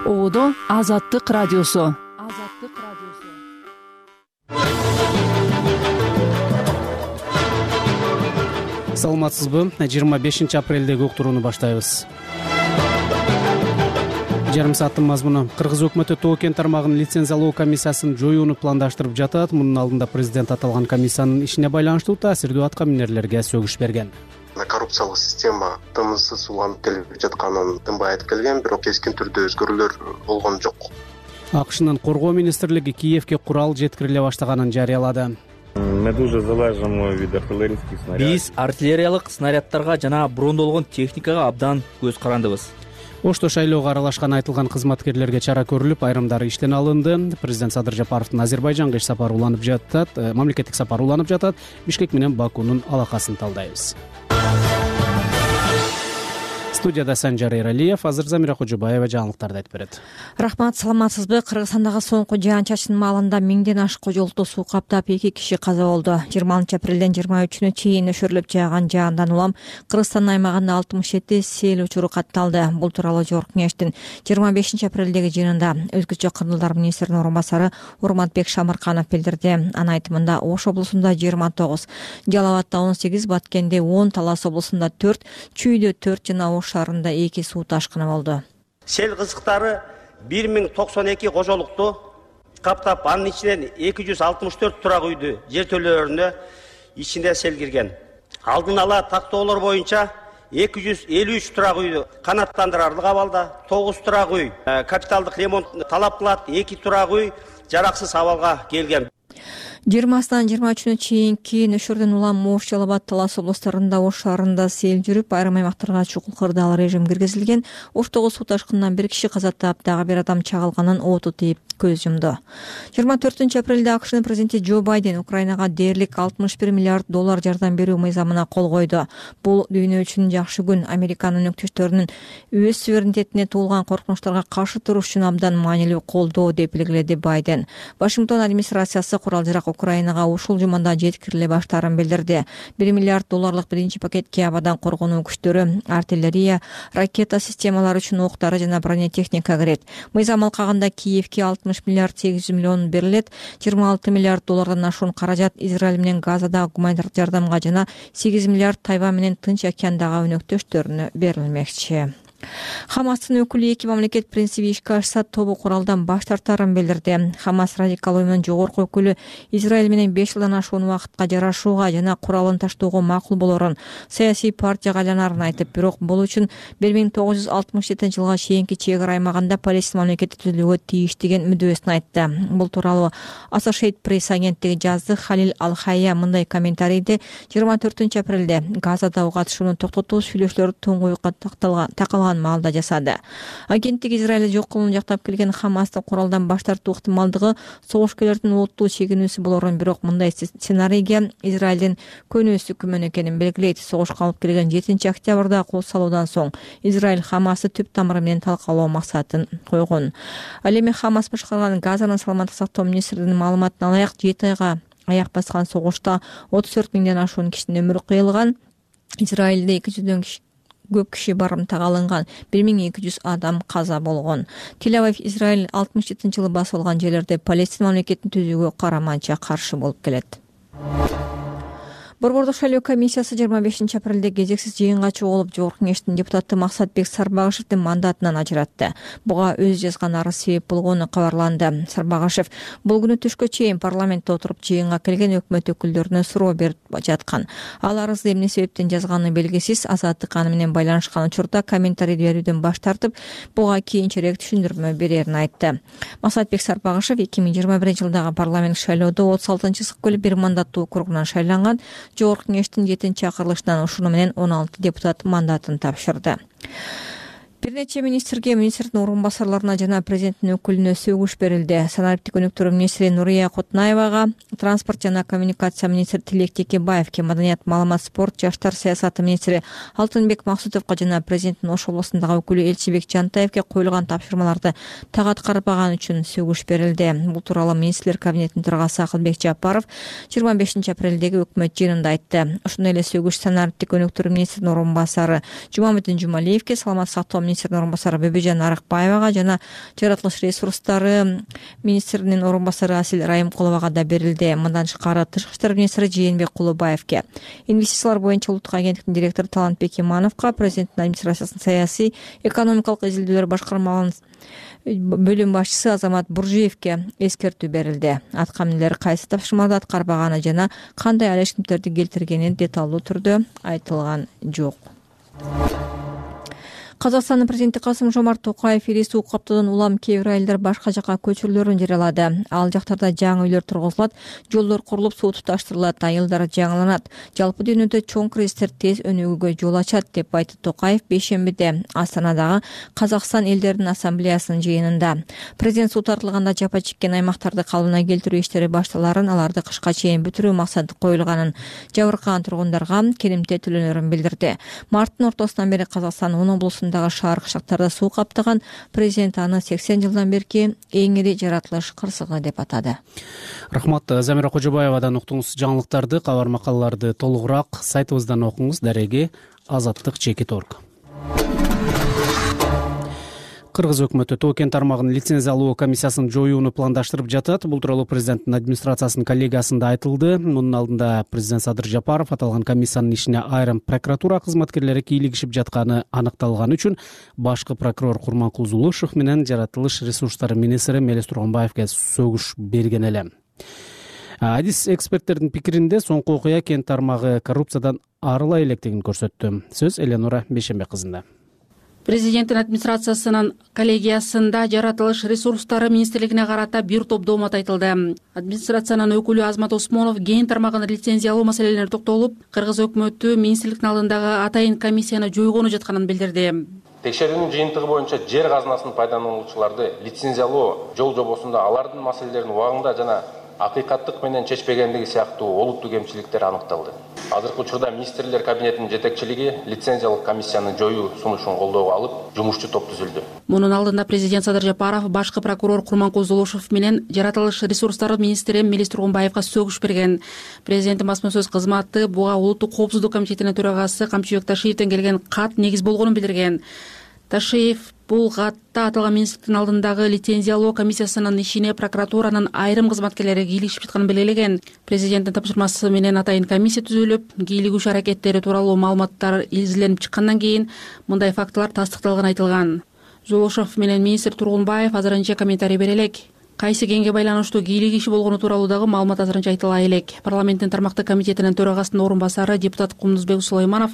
Оодо Азаттык радиосу. Саламатсызбы? 25 апрелдеги уктурууну баштайбыз. Жарым сааттын мазмуну. Кыргыз өкмөтү Тоо кен тармагынын лицензиялоо комиссиясын жоюуну пландаштырып жатат. Мунун алдында президент аталган комиссиянын ишине байланыштуу таасирдүү атка минерлерге сөгүш берген. Коррупциялык система тыныссыз уланып келип жатканын тынбай айтып келген, бирок кескин түрдө өзгөрүүлөр болгон жок. АКШнын коргоо министрлиги Киевке курал жеткириле баштаганын жарыялады. Биз артиллериялык снаряддарга жана брондолгон техникага абдан көз карандыбыз. Ошто шайлоого аралашкан айтылган кызматкерлерге чара көрүлүп, айрымдары иштен алынды. Президент Садыр Жапаровдун Азербайжанга иш сапары уланып жатат, мамлекеттик сапары уланып жатат. Бишкек менен Бакунун алакасын талдайбыз. Студияда Санжар Эралиев, азыр Замира Кожобаева жаңылыктарды айтып берет. Рахмат, саламатсызбы? Кыргызстандагы соңку жаан-чачын маалында миңден ашык кожолукту суу каптап 2 киши каза болду. 20 апрелден 23 чейин өшөрүлүп жааган жаандан улам Кыргызстан аймагында 67 сел учуру катталды. Бул тууралуу Жогорку кеңештин 25 апрелдеги жыйынында өзгөчө кырдалдар министринин орун басары Урматбек Шамырканов билдирди. Анын айтымында Ош облусунда 29, Жалал Абадда 18, Баткенде 10, Талас облусунда 4, Чүйдө 4 жана Ош шаарында 2 суу ташкыны болду. Сел кызыктары 1092 кожолукту каптап, анын ичинен 264 турак үйдү жертөлөлөрүнө ичинде сел кирген. Алдын ала тактоолор боюнча 253 турак үйдү канаттандырарлык абалда, 9 турак үй капиталдык ремонт талап кылат, 2 турак үй жараксыз абалга келген. 20-дан 23-нө чейинки нөшөрдөн улам Ош, Жалал Абад, Талас облустарында, Ош шаарында сел жүрүп, айрым аймактарга чукул кырдаал режим киргизилген. Оштогу суу ташкынынан 1 киши каза таап, дагы 1 адам чагылганын оту тийип көз жумду. 24 апрелде АКШнын президенти Джо Байден Украинага дээрлик $61 миллиард жардам берүү мыйзамына кол койду. Бул дүйнө үчүн жакшы күн. Американын өнөктөштөрүнүн өз суверенитетине туулган коркунучтарга каршы туруш үчүн абдан маанилүү колдоо деп белгиледи Байден. Вашингтон администрациясы курал-жарак Украинага ушул жумада жеткириле баштаарын билдирди. $1 миллиард биринчи пакетке абадан коргонуу күчтөрү, артиллерия, ракета системалары үчүн октары жана бронетехника кирет. Мыйзам алкагында Киевке $60 миллиард 800 миллион берилет. $26 миллиард ашуун каражат Израиль менен Газада гуманитардык жардамга жана $8 миллиард Тайвань менен Тынч океандагы өнөктөштөрүнө берилмекчи. Хамастын өкүлү 2 мамлекет принциби ишке ашса тобу куралдан баш тартарын билдирди. Хамас радикал уюмунун жогорку өкүлү Израиль менен 5 жылдан ашуун убакытка жарашууга жана куралын таштоого макул болорун, саясий партияга айланарын айтып, бирок бул үчүн 1967-жылга чейинки чек ара аймагында Палестина мамлекети түзүлүүгө тийиш деген мүддөсүн айтты. Бул тууралуу Associated Press агенттиги жазды. Халил Ал-Хайя мындай комментарийди: 24 апрелде Газада катышууну токтотуу сүйлөшүүлөрү туңгуюкка такалган маалда жасады. Агенттик Израиль жок кылууну жактап келген Хамастын куралдан баш тартуу ыктымалдыгы согушкерлердин олуттуу чегинүүсү болорун, бирок мындай сценарийге Израилдин көнүүсү күмөн экенин белгилейт. Согушка алып келген 7 октябрда кол салуудан соң Израиль Хамасты түп тамыры менен талкалоо максатын койгон. Ал эми Хамас башкарган Газанын саламаттык сактоо министрлигинин маалыматына ылайык 7 айга аяк баскан согушта 34 миңден ашуун кишинин өмүрү кыйылган. Израилде 200дөн көп киши барымтага алынган, 1200 адам каза болгон. Тель-Авив Израиль 67-жылы басып алган жерлерде Палестина мамлекетин түзүүгө караманча каршы болуп келет. Борбордук шайлоо комиссиясы 25 апрелде кезексиз жыйынга чогулуп, Жогорку кеңештин депутаты Максатбек Сарбагышевдин мандатынан ажыратты. Буга өзү жазган арыз себеп болгону кабарланды. Сарбагышев бул күнү түшкө чейин парламентте отуруп жыйынга келген өкмөт өкүлдөрүнө суроо берип жаткан. Ал арызды эмне себептен жазганы белгисиз. Азаттык аны менен байланышкан учурда комментарий берүүдөн баш тартып, буга кийинчерээк түшүндүрмө берерин айтты. Максатбек Сарбагышев 2021-жылдагы парламент шайлоодо 36-сыккөл бир мандаттуу округунан шайланган. Жогорку кеңештин 7-чакырылышынан ушуну менен 16 депутат мандатын тапшырды. Бир нече министрге, министрдин орун басарларына жана президенттин өкүлүнө сөгүш берилди. Санариптик өнүктүрүү министри Нурия Кутнаевага, транспорт жана коммуникация министри Тилек Текебаевке, маданият, маалымат, спорт, жаштар саясаты министри Алтынбек Максутовго жана президенттин Ош облусундагы өкүлү Элчибек Жантаевке коюлган тапшырмаларды так аткарбаган үчүн сөгүш берилди. Бул тууралуу министрлер кабинетинин төрагасы Акылбек Жапаров 25 апрелдеги өкмөт жыйынында айтты. Ошондой эле сөгүш санариптик өнүктүрүү министринин орун басары Жумамедин Жумалиевке, саламаттык сактоо министринин орун басары Бөбөжан Арыкбаевага жана жаратылыш ресурстары министринин орун басары Асил Райымкуловага да берилди. Мындан тышкары тышкы иштер министри Жээнбек Кулубаевке, инвестициялар боюнча улуттук агенттиктин директору Талантбек Имановго, президенттин администрациясынын саясий экономикалык изилдөөлөр башкармалыгынын бөлүм башчысы Азамат Буржиевке эскертүү берилди. Аткаминерлер кайсы тапшырмаларды аткарбаганы жана кандай алешкимтерди келтиргени деталдуу түрдө айтылган жок. Казакстандын президенти Касым-Жомарт Токаев ири суу каптоодон улам кээ бир айылдар башка жакка көчүрүлөрүн жарыялады. Ал жактарда жаңы үйлөр тургузулат, жолдор курулуп, суу туташтырылат, айылдар жаңыланат. Жалпы дүйнөдө чоң кризистер тез өнүгүүгө жол ачат деп айтты Токаев бейшембиде Астанадагы Казакстан элдеринин ассамблеясынын жыйынында. Президент суу тартылганда жапа чеккен аймактарды калыбына келтирүү иштери башталарын, аларды кышка чейин бүтүрүү максаты коюлганын, жабыркаган тургундарга керемте төлөнөрүн билдирди. Марттын ортосунан бери Казакстан 10 облусунда шаар кыштактарда суу каптаган. Президент аны 80 жылдан берки эң ири жаратылыш кырсыгы деп атады. Рахмат. Замира Кожобаевадан уктуңуз жаңылыктарды, кабар макалаларды толугураак сайтыбыздан окуңуз. Дареги azatlyk.org. Кыргыз өкмөтү Тоо кен тармагынын лицензиялоо комиссиясын жоюуну пландаштырып жатат. Бул тууралуу президенттин администрациясынын коллегиясында айтылды. Мунун алдында президент Садыр Жапаров аталган комиссиянын ишине айрым прокуратура кызматкерлери кийлигишип жатканы аныкталганы үчүн башкы прокурор Курманкул Зулушев менен жаратылыш ресурстары министри Мелис Тургунбаевге сөгүш берген эле. Адис эксперттердин пикиринде соңку окуя кен тармагы коррупциядан арыла электигин көрсөттү. Сөз Эленора Бейшембек кызында. Президенттин администрациясынын коллегиясында жаратылыш ресурстары министрлигине карата бир топ доомат айтылды. Администрациянын өкүлү Азмат Осмонов кен тармагын лицензиялоо маселелерине токтолуп, Кыргыз өкмөтү министрликтин алдындагы атайын комиссияны жойгону жатканын билдирди. Текшерүүнүн жыйынтыгы боюнча жер казынасын пайдалануучуларды лицензиялоо жол жобосунда алардын маселелерин убагында жана акыйкаттык менен чечпегендиги сыяктуу олуттуу кемчиликтер аныкталды. Азыркы учурда министрлер кабинетинин жетекчилиги лицензиялык комиссияны жоюу сунушун колдоого алып, жумушчу топ түзүлдү. Мунун алдында президент Садыр Жапаров башкы прокурор Курманкул Зулушев менен жаратылыш ресурстары министри Мелис Тургунбаевга сөгүш берген. Президенттин басма сөз кызматы буга улуттук коопсуздук комитетинин төрагасы Камчыбек Ташиевден келген кат негиз болгонун билдирген. Ташиев бул катта аталган министрликтин алдындагы лицензиялоо комиссиясынын ишине прокуратуранын айрым кызматкерлери кийлигишип жатканын белгилеген. Президенттин тапшырмасы менен атайын комиссия түзүлүп, кийлигүүчү аракеттери тууралуу маалыматтар изиленип чыккандан кийин мындай фактылар тастыкталганы айтылган. Зулушев менен министр Тургунбаев азырынча комментарий бере элек. Кайсы кенге байланыштуу кийлик иши болгону тууралуу дагы маалымат азырынча айтыла элек. Парламенттин тармактык комитетинин төрагасынын орун басары депутат Кумдузбек Сулайманов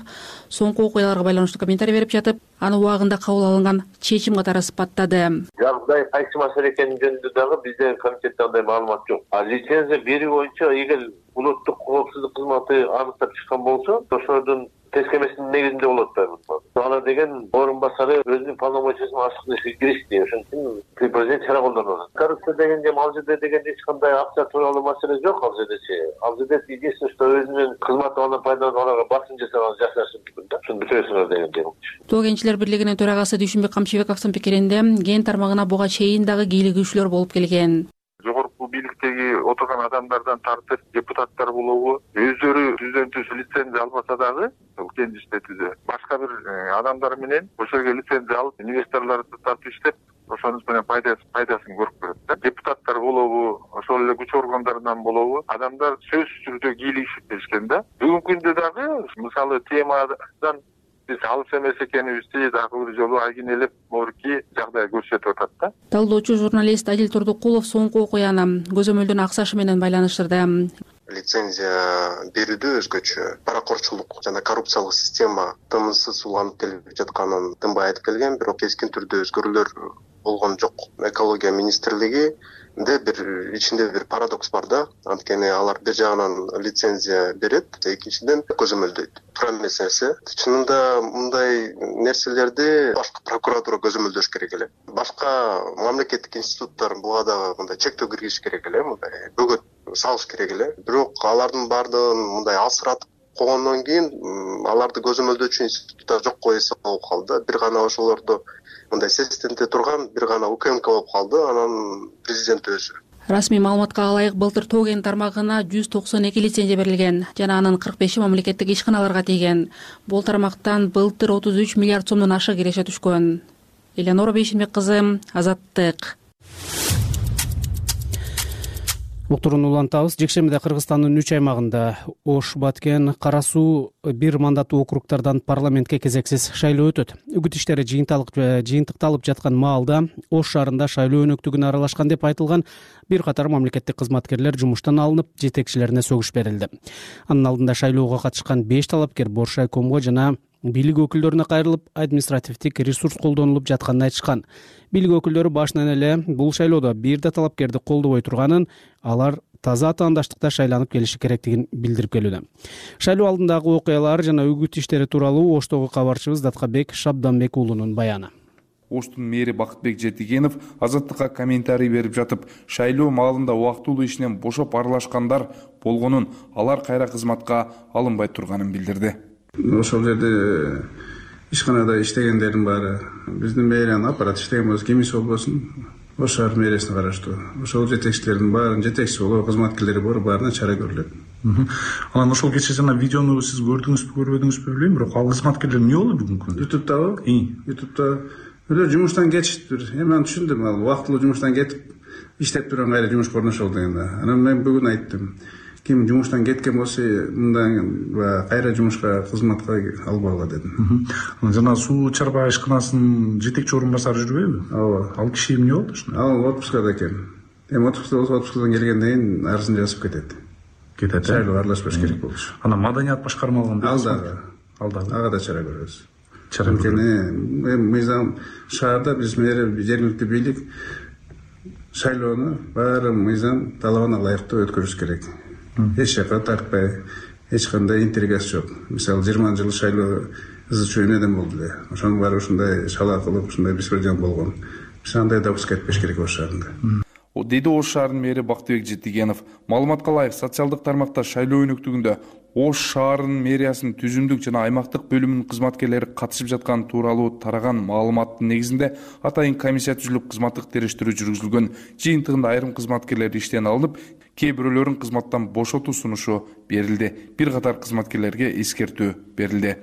соңку окуяларга байланыштуу комментарий берип жатып, аны убагында кабыл алынган чечим катары сыпаттады. Жагдай кайсы маселе экени жөнүндө дагы бизде комитетте андай маалымат жок. Лицензия берүү боюнча эгер улуттук коопсуздук кызматы аныктап чыккан болсо, ошонун тескемесинин негизинде болот да. Ана деген орун басары өзүнүн полномочиясын ашык ишке киришти. Ошон үчүн президент чара колдонот. Коррупция дегенде ал жерде дегенде эч кандай акча тууралуу маселе жок ал жердечи. Ал жерде единственное, что өзүнүн кызматынан пайдаланып аларга басым жасаган жашашы мүмкүн да. Ошону бүтөсүңөр дегенде. Тоо кенчилер бирлигинин төрагасы Дүйшүнбек Камчыбековдун пикиринде кен тармагына буга чейин дагы кийлигүүчүлөр болуп келген. Жогорку бийликтеги отурган адамдардан тартып депутаттар болобу өздөрү түздөн түз лицензия албаса дагы кен иштетүүдө башка бир адамдар менен ошол жерге лицензия алып инвесторлорду тартып иштеп ошонун менен пайдасын көрүп көрөт да. Депутаттар болобу ошол эле күч органдарынан болобу адамдар сөзсүз түрдө кийлигишип келишкен да. Бүгүнкү күндө дагы мисалы темадан биз алыс эмес экенибизди дагы бир жолу айгинелеп морки жагдай көрсөтүп атат да. Талдоочу журналист Адил Турдукулов соңку окуяны көзөмөлдөн аксашы менен байланыштырды. Лицензия берүүдө өзгөчө паракорчулук жана коррупциялык система тынымсыз уланып келип жатканын тынбай айтып келген, бирок кескин түрдө өзгөрүүлөр болгон жок. Экология министрлиги бир ичинде бир парадокс бар да. Анткени алар бир жагынан лицензия берет, экинчиден көзөмөлдөйт. Туура эмес нерсе. Чынында мындай нерселерди башкы прокуратура көзөмөлдөш керек эле. Башка мамлекеттик институттар буга дагы мындай чектөө киргизиш керек эле, мындай бөгөт салыш керек эле. Бирок алардын баардыгын мындай алсыратып койгондон кийин аларды көзөмөлдөөчү институттар жокко эсе болуп калды. Бир гана ошолорду мындай сестенте турган бир гана УКМК болуп калды, анан президент өзү. Расмий маалыматка ылайык былтыр тоо кен тармагына 192 лицензия берилген жана анын 45 мамлекеттик ишканаларга тийген. Бул тармактан былтыр 33 миллиард сомдон ашык киреше түшкөн. Элеонора Бейшенбек кызы, Азаттык. Уктурууну улантабыз. Жекшембиде Кыргызстандын 3 аймагында Ош, Баткен, Кара Суу бир мандаттуу округдардан парламентке кезексиз шайлоо өтөт. Үгүт иштери жыйынтыкталып жаткан маалда Ош шаарында шайлоо өнөктүгүнө аралашкан деп айтылган бир катар мамлекеттик кызматкерлер жумуштан алынып, жетекчилерине сөгүш берилди. Анын алдында шайлоого катышкан 5 талапкер Бош райкомго жана бийлик өкүлдөрүнө кайрылып, административдик ресурс колдонулуп жатканын айтышкан. Бийлик өкүлдөрү башынан эле бул шайлоодо бир да талапкерди колдобой турганын, алар таза атаандаштыкта шайланып келиши керектигин билдирип келүүдө. Шайлоо алдындагы окуялар жана үгүт иштери тууралуу Оштогу кабарчыбыз Даткабек Шабданбек уулунун баяны. Оштун мэри Бакытбек Жетигенов Азаттыкка комментарий берип жатып, шайлоо маалында убактылуу ишинен бошоп аралашкандар болгонун, алар кайра кызматка алынбай турганын билдирди. Ошол жерде ишканада иштегендердин баары биздин мэриянын аппарат иштеген болсо, кимиси болбосун, Ош шаар мэриясына караштуу. Ошол жетекчилердин баарын жетекчи болуп, кызматкерлери бар, баарына чара көрүлөт. Анан ошол кечээ жана видеону сиз көрдүңүзбү, көрбөдүңүзбү билбейм, бирок ал кызматкерлер эмне болду бүгүнкү күндө? Ютубта эле жумуштан кетиштир. Эми аны түшүндүм, ал убактылуу жумуштан кетип иштеп турган кайра жумушка орношолду дегенде. Анан мен бүгүн айттым. Ким жумуштан кеткен болсо, мындан кайра жумушка, кызматка албагыла дедим. Жана суу чарба ишканасынын жетекчи орун басары жүрбөйбү? Ооба. Ал киши эмне болду? Ал отпускада экен. Эми отпускадан келгенден кийин арызын жазып кетет. Шайлоого аралашпаш керек болчу. Анан маданият башкармалыгын Ал дагы. Ага да чара көрөбүз. Эми мыйзам шаарда биз жергиликтүү бийлик шайлоону баары мыйзам талабына ылайыктуу өткөрүш керек. Эч жака тартпай, эч кандай интригасы жок. Мисалы 20 жылы шайлоо ызы-чуу эмнеден болду эле. Ошонун баары ушундай шала кылып, ушундай беспредел болгон. Биз андай допуск этпеш керек Ош шаарында. Деди Ош шаарынын мэри Бактыбек Жетигенов. Маалыматка ылайык, социалдык тармакта шайлоо өнөктүгүндө Ош шаарынын мэриясынын түзүмдүк жана аймактык бөлүмүнүн кызматкерлери катышып жатканы тууралуу тараган маалыматтын негизинде атайын комиссия түзүлүп, кызматтык териштирүү жүргүзүлгөн. Жыйынтыгында айрым кызматкерлер иштен алынып, кээ бирөөлөрүн кызматтан бошотуу сунушу берилди. Бир катар кызматкерлерге эскертүү берилди.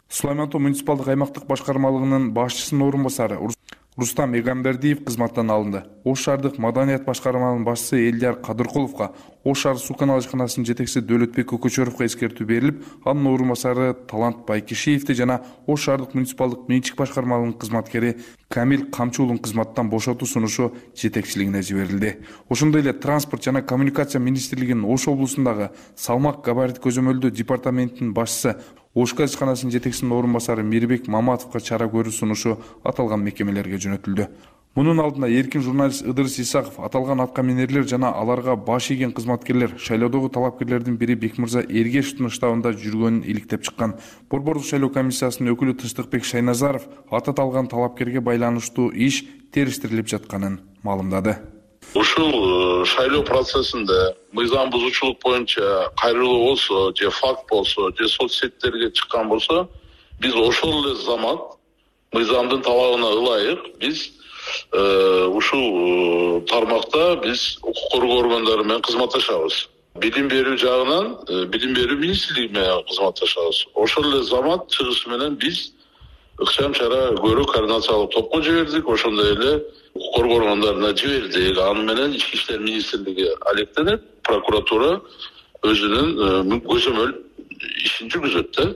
Сулайман Тоо муниципалдык аймактык башкармалыгынын башчысынын орун басары Рустам Эгамбердиев кызматтан алынды. Ош шаардык маданият башкармалыгынын башчысы Элдияр Кадыркуловго, Ош шаар суу канал ишканасынын жетекчиси Дөөлөтбек Көкөчөрөвгө эскертүү берилип, анын орун басары Талант Байкишиевди жана Ош шаардык муниципалдык менчик башкармалыгынын кызматкери Камил Камчуулун кызматтан бошотуу сунушу жетекчилигине жиберилди. Ошондой эле транспорт жана коммуникация министрлигинин Ош облусундагы салмак габарит көзөмөлдөө департаментинин башчысы Ош газ ишканасынын жетекчисинин орун басары Мирбек Маматовго чара көрүү сунушу аталган мекемелерге жөнөтүлдү. Мунун алдында эркин журналист Ыдырыс Исаков аталган аткаминерлер жана аларга баш ийген кызматкерлер шайлоодогу талапкерлердин бири Бекмырза Эргешевдин штабында жүргөнүн иликтеп чыккан. Борбордук шайлоо комиссиясынын өкүлү Тыштыкбек Шайназаров аты аталган талапкерге байланыштуу иш териштирилип жатканын маалымдады. Ушул шайлоо процессинде мыйзам бузуучулук боюнча кайрылуу болсо, же факт болсо, же соц сеттерге чыккан болсо, биз ошол эле замат мыйзамдын талабына ылайык биз ушул тармакта биз укук коргоо органдары менен кызматташабыз. Билим берүү жагынан билим берүү министрлиги менен кызматташабыз. Ошол эле замат чыгышы менен биз ыкчам чара көрүү координациялык топко жибердик, ошондой эле укук коргоо органдарына жибердик. Аны менен Ички иштер министрлиги алектенип, прокуратура өзүнүн көзөмөл ишин жүргүзөт да.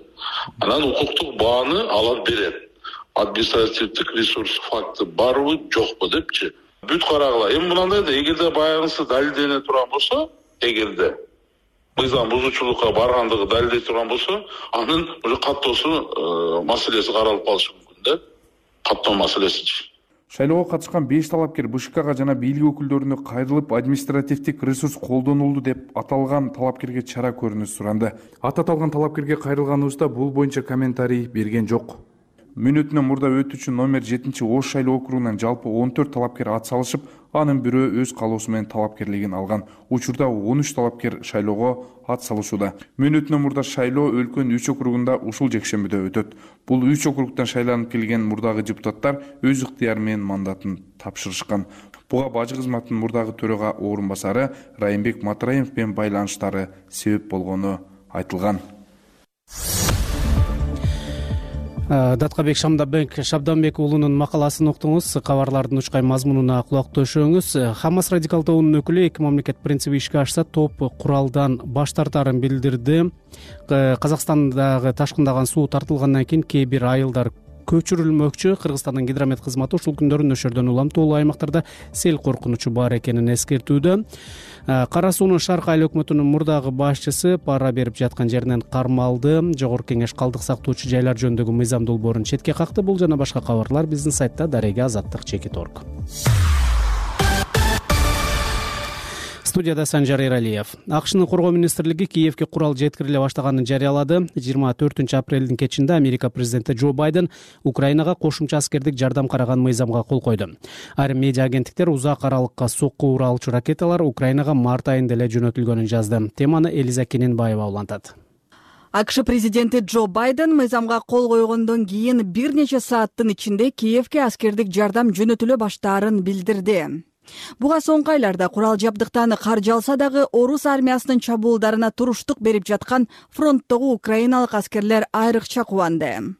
Анан укуктук бааны алар берет. Административдик ресурс факты барбы, жокпу депчи. Бүт карагыла. Эми мынандай да, эгерде баягысы далилдене турган болсо, эгерде мыйзам бузуучулукка баргандыгы далилдей турган болсо, анын уже каттоосу маселеси каралып калышы мүмкүн да. Каттоо маселесичи. Шайлоого катышкан 5 талапкер БШКга жана бийлик өкүлдөрүнө кайрылып, административдик ресурс колдонулду деп аталган талапкерге чара көрүүнү суранды. Аты аталган талапкерге кайрылганыбызда бул боюнча комментарий берген жок. Мүнөтүнөн мурда өтүүчү номер 7 Ош шайлоо округунан жалпы 14 талапкер ат салышып, Анын бирөө өз каалоосу менен талапкерлигин алган. Учурда 13 талапкер шайлоого ат салышууда. Мөөнөтүнөн мурда шайлоо өлкөнүн 3 округунда ушул жекшембиде өтөт. Бул 3 округтан шайланып келген мурдагы депутаттар өз ыктыяры менен мандатын тапшырышкан. Буга бажы кызматынын мурдагы төрага орун басары Райымбек Матраимов менен байланыштары себеп болгону айтылган. Даткабек Шабданбек уулунун макаласын уктуңуз. Кабарлардын учкай мазмунуна кулак төшөңүз. Хамас радикал тобунун өкүлү эки мамлекет принциби ишке ашса топ куралдан баш тартарын билдирди. Казакстандагы ташкындаган суу тартылгандан кийин кээ бир айылдар көчүрүлмөкчү. Кыргызстандын гидромет кызматы ушул күндөрү нөшөрдөн улам тоолуу аймактарда сел коркунучу бар экенин эскертүүдө. Кара суунун Шарк айыл өкмөтүнүн мурдагы башчысы пара берип жаткан жеринен кармалды. Жогорку кеңеш калдык сактоочу жайлар жөнүндөгү мыйзам долбоорун четке какты. Бул жана башка кабарлар биздин сайтта darega.azаттык.org. Студияда Санжар Эралиев. АКШнын коргоо министрлиги Киевге курал жеткириле баштаганын жарыялады. 24 апрелдин кечинде Америка президенти Джо Байден Украинага кошумча аскердик жардам караган мыйзамга кол койду. Айрым медиа агенттиктер узак аралыкка сокку уралчу ракеталар Украинага март айында эле жөнөтүлгөнүн жазды. Теманы Элиза Кененбаева улантат. АКШ президенти Джо Байден мыйзамга кол койгондон кийин бир нече сааттын ичинде Киевге аскердик жардам жөнөтүлө баштаарын билдирди. Буга соңку айларда курал жабдыктан каржы алса дагы орус армиясынын чабуулдарына туруштук берип жаткан фронттогу украиналык аскерлер айрыкча кубанды.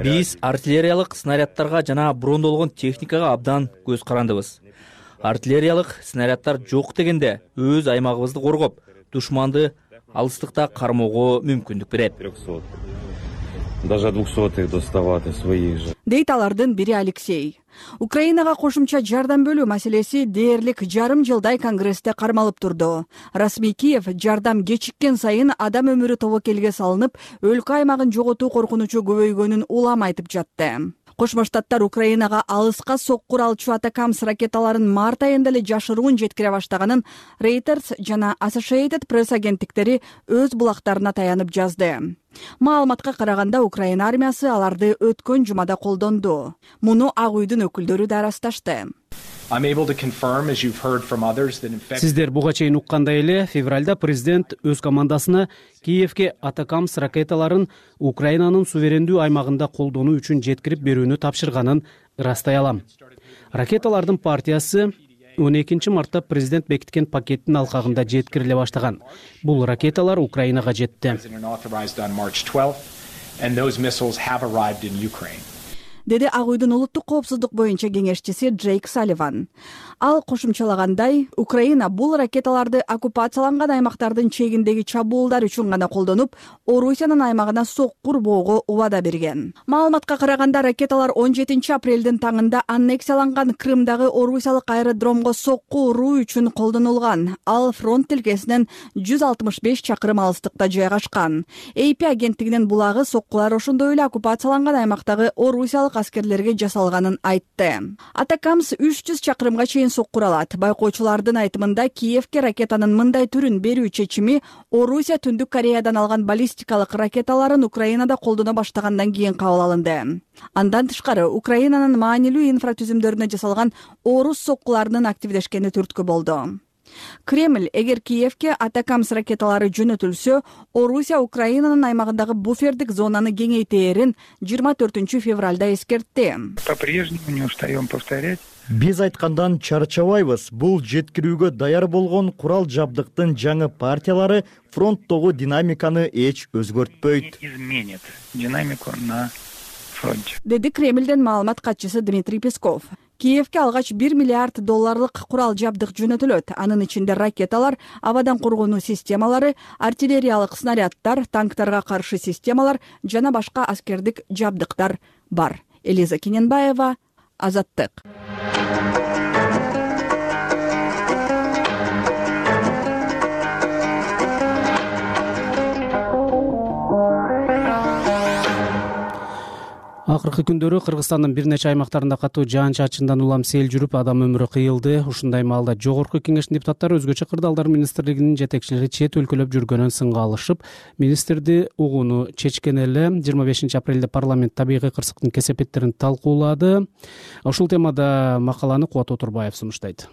Биз артиллериялык снарядтарга жана брондолгон техникага абдан көз карандыбыз. Артиллериялык снарядтар жок дегенде өз аймагыбызды коргоп, душманды алыстыкта кармоого мүмкүндүк берет. Даже 200-х доставать своих же. Дейт алардын бири Алексей. Украинага кошумча жардам бөлүү маселеси дээрлик жарым жылдай Конгрессте кармалып турду. Расмий Киев жардам кечиккен сайын адам өмүрү тобокелге салынып, өлкө аймагын жоготуу коркунучу көбөйгөнүн улам айтып жатты. Кошмо Штаттар Украинага алыска сокку уралчу Атакамс ракеталарын март айында эле жашыруун жеткире баштаганын Reuters жана Associated Press агенттиктери өз булактарына таянып жазды. Маалыматка караганда Украина армиясы аларды өткөн жумада колдонду. Муну Ак үйдүн өкүлдөрү да ырасташты. Сиздер буга чейин уккандай эле, февралда президент өз командасына Киевге Атакамс ракеталарын Украинанын суверендүү аймагында колдонуу үчүн жеткирип берүүнү тапшырганын ырастай алам. Ракеталардын партиясы 12 мартта президент бекиткен пакеттин алкагында жеткириле баштаган. Бул ракеталар Украинага жетти. Деди Ак үйдүн улуттук коопсуздук боюнча кеңешчиси Джейк Салливан. Ал кошумчалагандай, Украина бул ракеталарды оккупацияланган аймактардын чегиндеги чабуулдар үчүн гана колдонуп, Орусиянын аймагына сокку урбоого убада берген. Маалыматка караганда ракеталар 17 апрелдин таңында аннексияланган Крымдагы орусиялык аэродромго сокку уруу үчүн колдонулган. Ал фронт тилкесинен 165 чакырым алыстыкта жайгашкан. AP агенттигинин булагы соккулар ошондой эле оккупацияланган аймактагы орусиялык аскерлерге жасалганын айтты. Атакамс 300 чакырымга чейин соккуралат. Байкоочулардын айтымында Киевге ракетанын мындай түрүн берүү чечими Орусия Түндүк Кореядан алган баллистикалык ракеталарын Украинада колдоно баштагандан кийин кабыл алынды. Андан тышкары Украинанын маанилүү инфратүзүмдөрүнө жасалган орус соккуларынын активдешкени түрткү болду. Кремль эгер Киевге Атакамс ракеталары жөнөтүлсө, Орусия Украинанын аймагындагы буфердик зонаны кеңейтээрин 24 февралда эскертти. По-прежнему не устаем повторять. Биз айткандан чарчабайбыз. Бул жеткирүүгө даяр болгон курал жабдыктын жаңы партиялары фронттогу динамиканы эч өзгөртпөйт. Изменит динамику на фронте. Деди Кремлден маалымат катчысы Дмитрий Песков. Киевге алгач $1 миллиард курал жабдык жөнөтүлөт. Анын ичинде ракеталар, абадан коргонуу системалары, артиллериялык снарядтар, танктарга каршы системалар жана башка аскердик жабдыктар бар. Элиза Кененбаева, Азаттык. Акыркы күндөрү Кыргызстандын бир нече аймактарында катуу жаан-чачындан улам сел жүрүп, адам өмүрү кыйылды. Ушундай маалда Жогорку Кеңештин депутаттары өзгөчө кырдаалдар министрлигинин жетекчилери чет өлкөлөп жүргөнүн сынга алышып, министрди угууну чечкен эле. 25 апрелде парламент табигый кырсыктын кесепеттерин талкуулады. Ушул темада макаланы Кубат Отурбаев сунуштайт.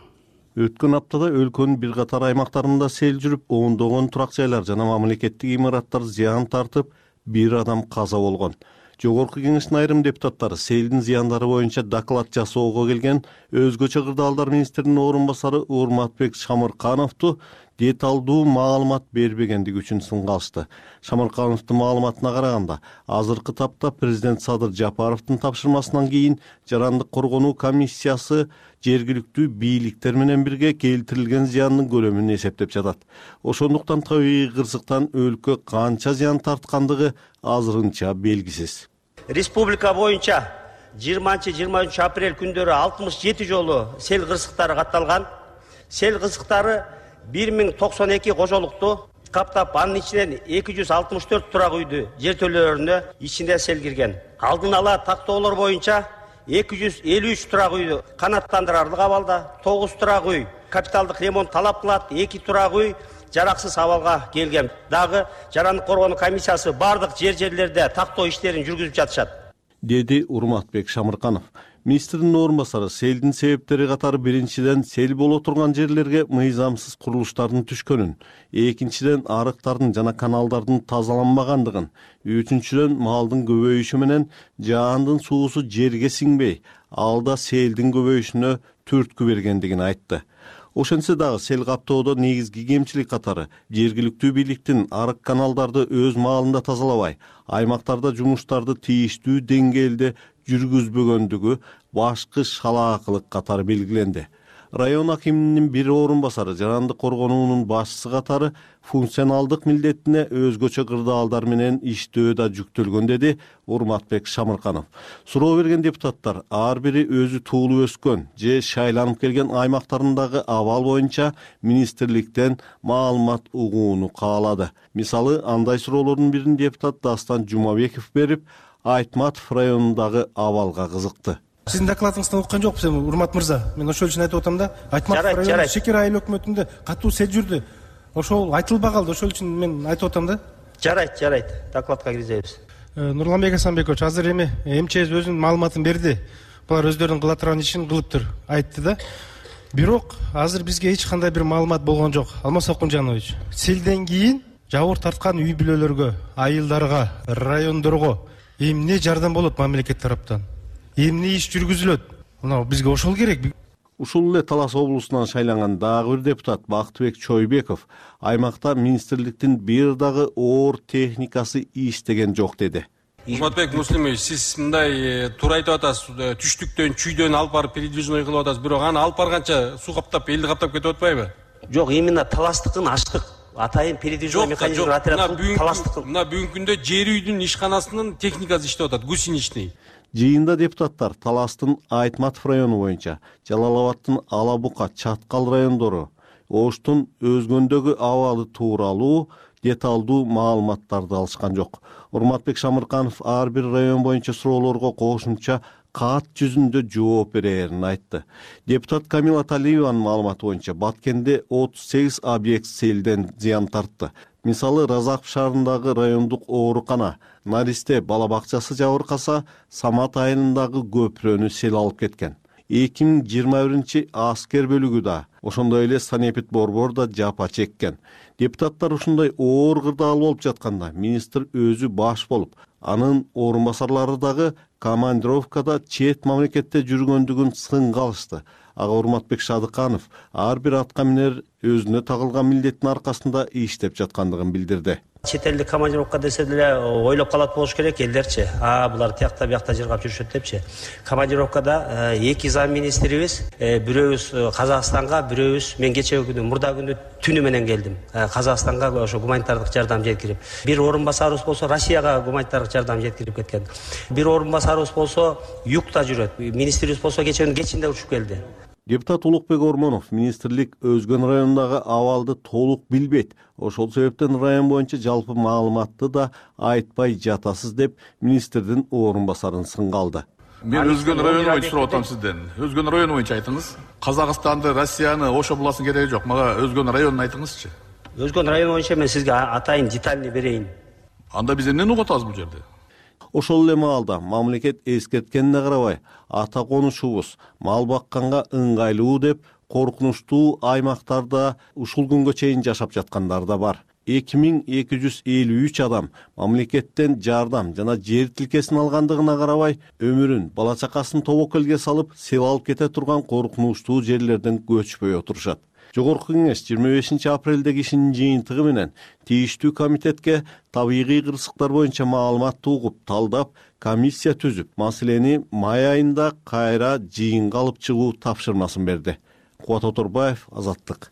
Өткөн аптада өлкөнүн бир катар аймактарында сел жүрүп, ондогон турак жайлар жана мамлекеттик имараттар зыян тартып, бир адам каза болгон. Жогорку Кеңештин айрым депутаттары селдин зыяндары боюнча доклад жасоого келген өзгөчө кырдаалдар министринин орун басары Урматбек Шамыркановду деталдуу маалымат бербегендиги үчүн сынга алышты. Шамыркановдун маалыматына караганда, азыркы тапта президент Садыр Жапаровдун тапшырмасынан кийин жарандык коргонуу комиссиясы жергиликтүү бийликтер менен бирге келтирилген зыяндын көлөмүн эсептеп жатат. Ошондуктан табигый кырсыктан өлкө канча зыян тарткандыгы азырынча белгисиз. Республика боюнча 20-23 апрель күндөрү 67 жолу сел кырсыктары катталган. Сел кырсыктары 1092 кожолукту каптап, анын ичинен 264 турак үйдү жертөлөлөрүнө ичинде сел кирген. Алдын ала тактоолор боюнча 253 турак үйдү канаттандырарлык абалда, 9 турак үй капиталдык ремонт талап кылат, 2 турак үй жараксыз абалга келген. Дагы жарандык коргонуу комиссиясы бардык жерлерде тактоо иштерин жүргүзүп жатышат, деди Урматбек Шамырканов. Министрдин орун басары селдин себептери катары биринчиден сел боло турган жерлерге мыйзамсыз курулуштардын түшкөнүн, экинчиден арыктардын жана каналдардын тазаланбагандыгын, үчүнчүдөн малдын көбөйүшү менен жаандын суусу жерге сиңбей, алда селдин көбөйүшүнө түрткү бергендигин айтты. Ошентсе дагы сел каптоодо негизги кемчилик катары жергиликтүү бийликтин арык каналдарды өз маалында тазалабай, аймактарда жумуштарды тийиштүү деңгээлде жүргүзбөгөндүгү башкы шалаакылык катары белгиленди. Район акиминин бир орун басары жарандык коргонуунун башчысы катары функционалдык милдетине өзгөчө кырдаалдар менен иштөө да жүктөлгөн, деди Урматбек Шамырканов. Суроо берген депутаттар ар бири өзү туулуп өскөн же шайланып келген аймактарындагы абал боюнча министрликтен маалымат угууну каалады. Мисалы, андай суроолордун бирин депутат Дастан Жумабеков берип, Айтматов районундагы абалга кызыкты. Сиздин докладыңыздан уккан жокпуз эми, Урмат мырза. Мен ошол үчүн айтып атам да, Айтматов району Шекер айыл өкмөтүндө катуу сел жүрдү. Ошол айтылбай калды, ошол үчүн мен айтып атам да. Жарайт, докладка киргизебиз. Нурланбек Асанбекович, азыр эми МЧС өзүнүн маалыматын берди. Булар өздөрүнүн кыла турган ишин кылыптыр, айтты да. Бирок азыр бизге эч кандай бир маалымат болгон жок. Алмаз Окунжанович, селден кийин жабыр тарткан үй бүлөлөргө, айылдарга, райондорго эмне жардам болот мамлекет тараптан? Эмне иш жүргүзүлөт? Мына бизге ошол керек. Ушул эле Талас облусунан шайланган дагы бир депутат Бактыбек Чойбеков аймакта министрликтин бир дагы оор техникасы иштеген жок, деди. Урматбек Муслимович, сиз мындай туура айтып атасыз, түштүктөн, чүйдөн алып барып передвижной кылып атасыз, бирок аны алып барганча суу каптап, элди каптап кетип атпайбы? Жок, именно таластыкын ачтык. Атайын передвижной механизм отрядын таластыкын. Мына бүгүнкү күндө жер үйдүн ишканасынын техникасы иштеп атат, гусеничный. Жыйында депутаттар Таластын Айтматов району боюнча, Жалалабадтын Алабука, Чаткал райондору, Оштун өзгөндөгү абалы тууралуу деталдуу маалыматтарды алышкан жок. Урматбек Шамырканов ар бир район боюнча суроолорго кошумча кат жүзүндө жооп берерин айтты. Депутат Камила Талиеванын маалыматы боюнча Баткенде 38 объект селден зыян тартты. Мисалы, Разаков шаарындагы райондук оорукана, Наристе бала бакчасы жабыркаса, Самат айылындагы көпүрөнү сел алып кеткен. 2021 аскер бөлүгү да, ошондой эле Санепит Борбор да жапа чеккен. Депутаттар ушундай оор кырдаал болуп жатканда, министр өзү баш болуп, анын орун басарлары дагы командировкада чет мамлекетте жүргөндүгүн сынга алышты. Ага Урматбек Шадыканов ар бир атка минер өзүнө тагылган милдеттин аркасында иштеп жаткандыгын билдирди. Чет элдик командировка десе деле ойлоп калат болуш керек элдерчи. Булар тиякта биякта жыргап жүрүшөт депчи. Командировкада эки зам министрибиз, бирөөбүз Казакстанга, бирөөбүз мен кечеги күнү, мурда күнү түнү менен келдим. Казакстанга ошо гуманитардык жардам жеткирип. Бир орун басарыбыз болсо Россияга гуманитардык жардам жеткирип кеткен. Бир орун басарыбыз болсо югта жүрөт. Министрибиз болсо кечээ күнү кечинде учуп келди. Депутат Улукбек Ормонов министрлик Өзгөн районундагы абалды толук билбейт. Ошол себептен район боюнча жалпы маалыматты да айтпай жатасыз деп министрдин орун басарын сынга алды. Мен Өзгөн району боюнча сурап атам сизден. Өзгөн району боюнча айтыңыз. Казакстанды, Россияны, Оша буласын кереги жок. Мага Өзгөн районун айтыңызчы. Өзгөн району боюнча мен сизге атайын детальный берейин. Анда биз эмнени угуп атабыз бул жерде? Ошол эле маалда мамлекет эскерткенине карабай, ата конушубуз мал бакканга ыңгайлуу деп коркунучтуу аймактарда ушул күнгө чейин жашап жаткандар да бар. 2253 адам мамлекеттен жардам жана жер тилкесин алгандыгына карабай, өмүрүн, бала чакасын тобокелге салып, сел алып кете турган коркунучтуу жерлерден көчпөй отурушат. Жогорку кеңеш 25 апрелдеги ишинин жыйынтыгы менен тийиштүү комитетке табигый кырсыктар боюнча маалыматты угуп, талдап, комиссия түзүп, маселени май айында кайра жыйынга алып чыгуу тапшырмасын берди. Кубат Оторбаев, Азаттык.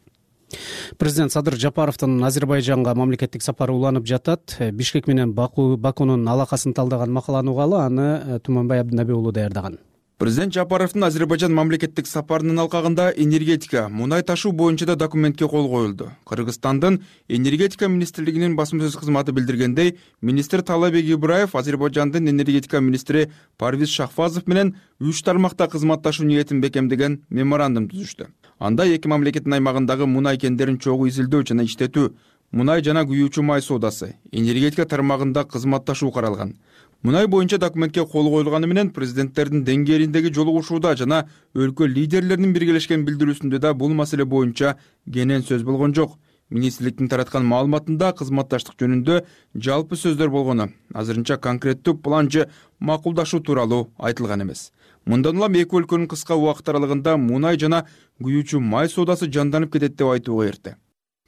Президент Садыр Жапаровдун Азербайжанга мамлекеттик сапары уланып жатат. Бишкек менен Бакунун алакасын талдаган макаланы угалы, аны Туманбай Абдынабек уулу даярдаган. Президент Жапаровдун Азербайжан мамлекеттик сапарынын алкагында энергетика, мунай ташуу боюнча да документке кол коюлду. Кыргызстандын энергетика министрлигинин басма сөз кызматы билдиргендей, министр Талабек Ибраев Азербайжандын энергетика министри Парвиз Шахфазов менен 3 тармакта кызматташуу ниетин бекемдеген меморандум түзүштү. Анда эки мамлекеттин аймагындагы мунай кендерин чогуу изилдөө жана иштетүү, мунай жана күйүүчү май соодасы, энергетика тармагында кызматташуу каралган. Мунай боюнча документке кол коюлганы менен президенттердин деңгээлиндеги жолугушууда жана өлкө лидерлеринин биргелешкен билдирүүсүндө да бул маселе боюнча кенен сөз болгон жок. Министрликтин тараткан маалыматында кызматташтык жөнүндө жалпы сөздөр болгону, азырынча конкреттүү план же макулдашуу тууралуу айтылган эмес. Мындан улам эки өлкөнүн кыска убакыт аралыгында мунай жана күйүүчү май соодасы жанданып кетет деп айтууга эрте.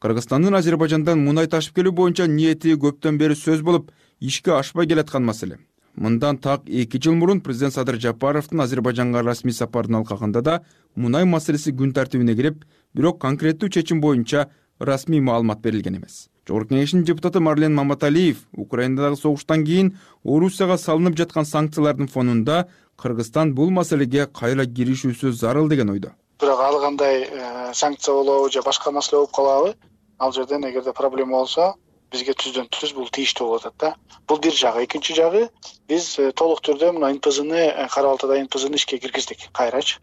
Кыргызстандын Азербайжандан мунай ташып келүү боюнча ниети көптөн бери сөз болуп, ишке ашпай келаткан маселе. Мындан так 2 жыл мурун президент Садыр Жапаровдун Азербайжанга расмий сапарынын алкагында да мунай маселеси күн тартибине кирип, бирок конкреттүү чечим боюнча расмий маалымат берилген эмес. Жогорку кеңештин депутаты Марлен Маматалиев Украинадагы согуштан кийин Орусияга салынып жаткан санкциялардын фонунда Кыргызстан бул маселеге кайра киришүүсү зарыл деген ойдо. Бирок ал кандай санкция болобу же башка маселе болуп калабы? Ал жерден эгерде проблема болсо, бизге түздөн түз бул тийиштүү болуп атат да. Бул бир жагы. Экинчи жагы, биз толук түрдө мына НПЗны, Кара-Балтада НПЗны ишке киргиздик кайрачы.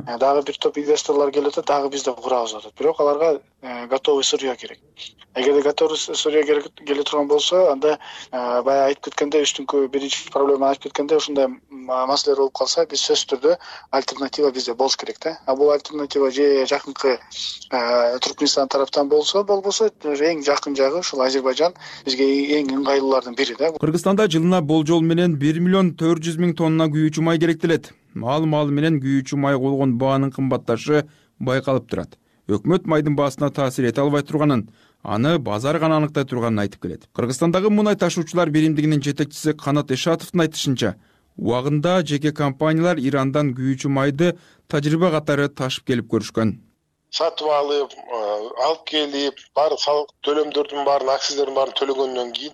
Дагы бир топ инвесторлор келип атат, дагы биз да курабыз деп атат. Бирок аларга готовый сырье керек. Эгерде готовый сырье келе турган болсо, анда баягы айтып кеткенде, үстүңкү биринчи проблема айтып кеткенде, ушундай маселелер болуп калса, биз сөзсүз түрдө альтернатива бизде болуш керек да. А бул альтернатива же жакынкы Түркмөнстан тараптан болсо, болбосо эң жакын жагы ушул Азербайжан бизге эң ыңгайлуулардын бири да. Кыргызстанда жылына болжол менен 1.400.000 тонна күйүүчү май керектелет. Маал менен күйүүчү май болгон баанын кымбатташы байкалып турат. Өкмөт майдын баасына таасир эте албай турганын, аны базар гана аныктай турганын айтып келет. Кыргызстандагы мунай ташуучулар биримдигинин жетекчиси Канат Эшатовдун айтышынча, убагында жеке компаниялар Ирандан күйүүчү майды тажрыйба катары ташып келип көрүшкөн. Сатып алып келип, баары салык төлөмдөрдүн баарын, акциздердин баарын төлөгөндөн кийин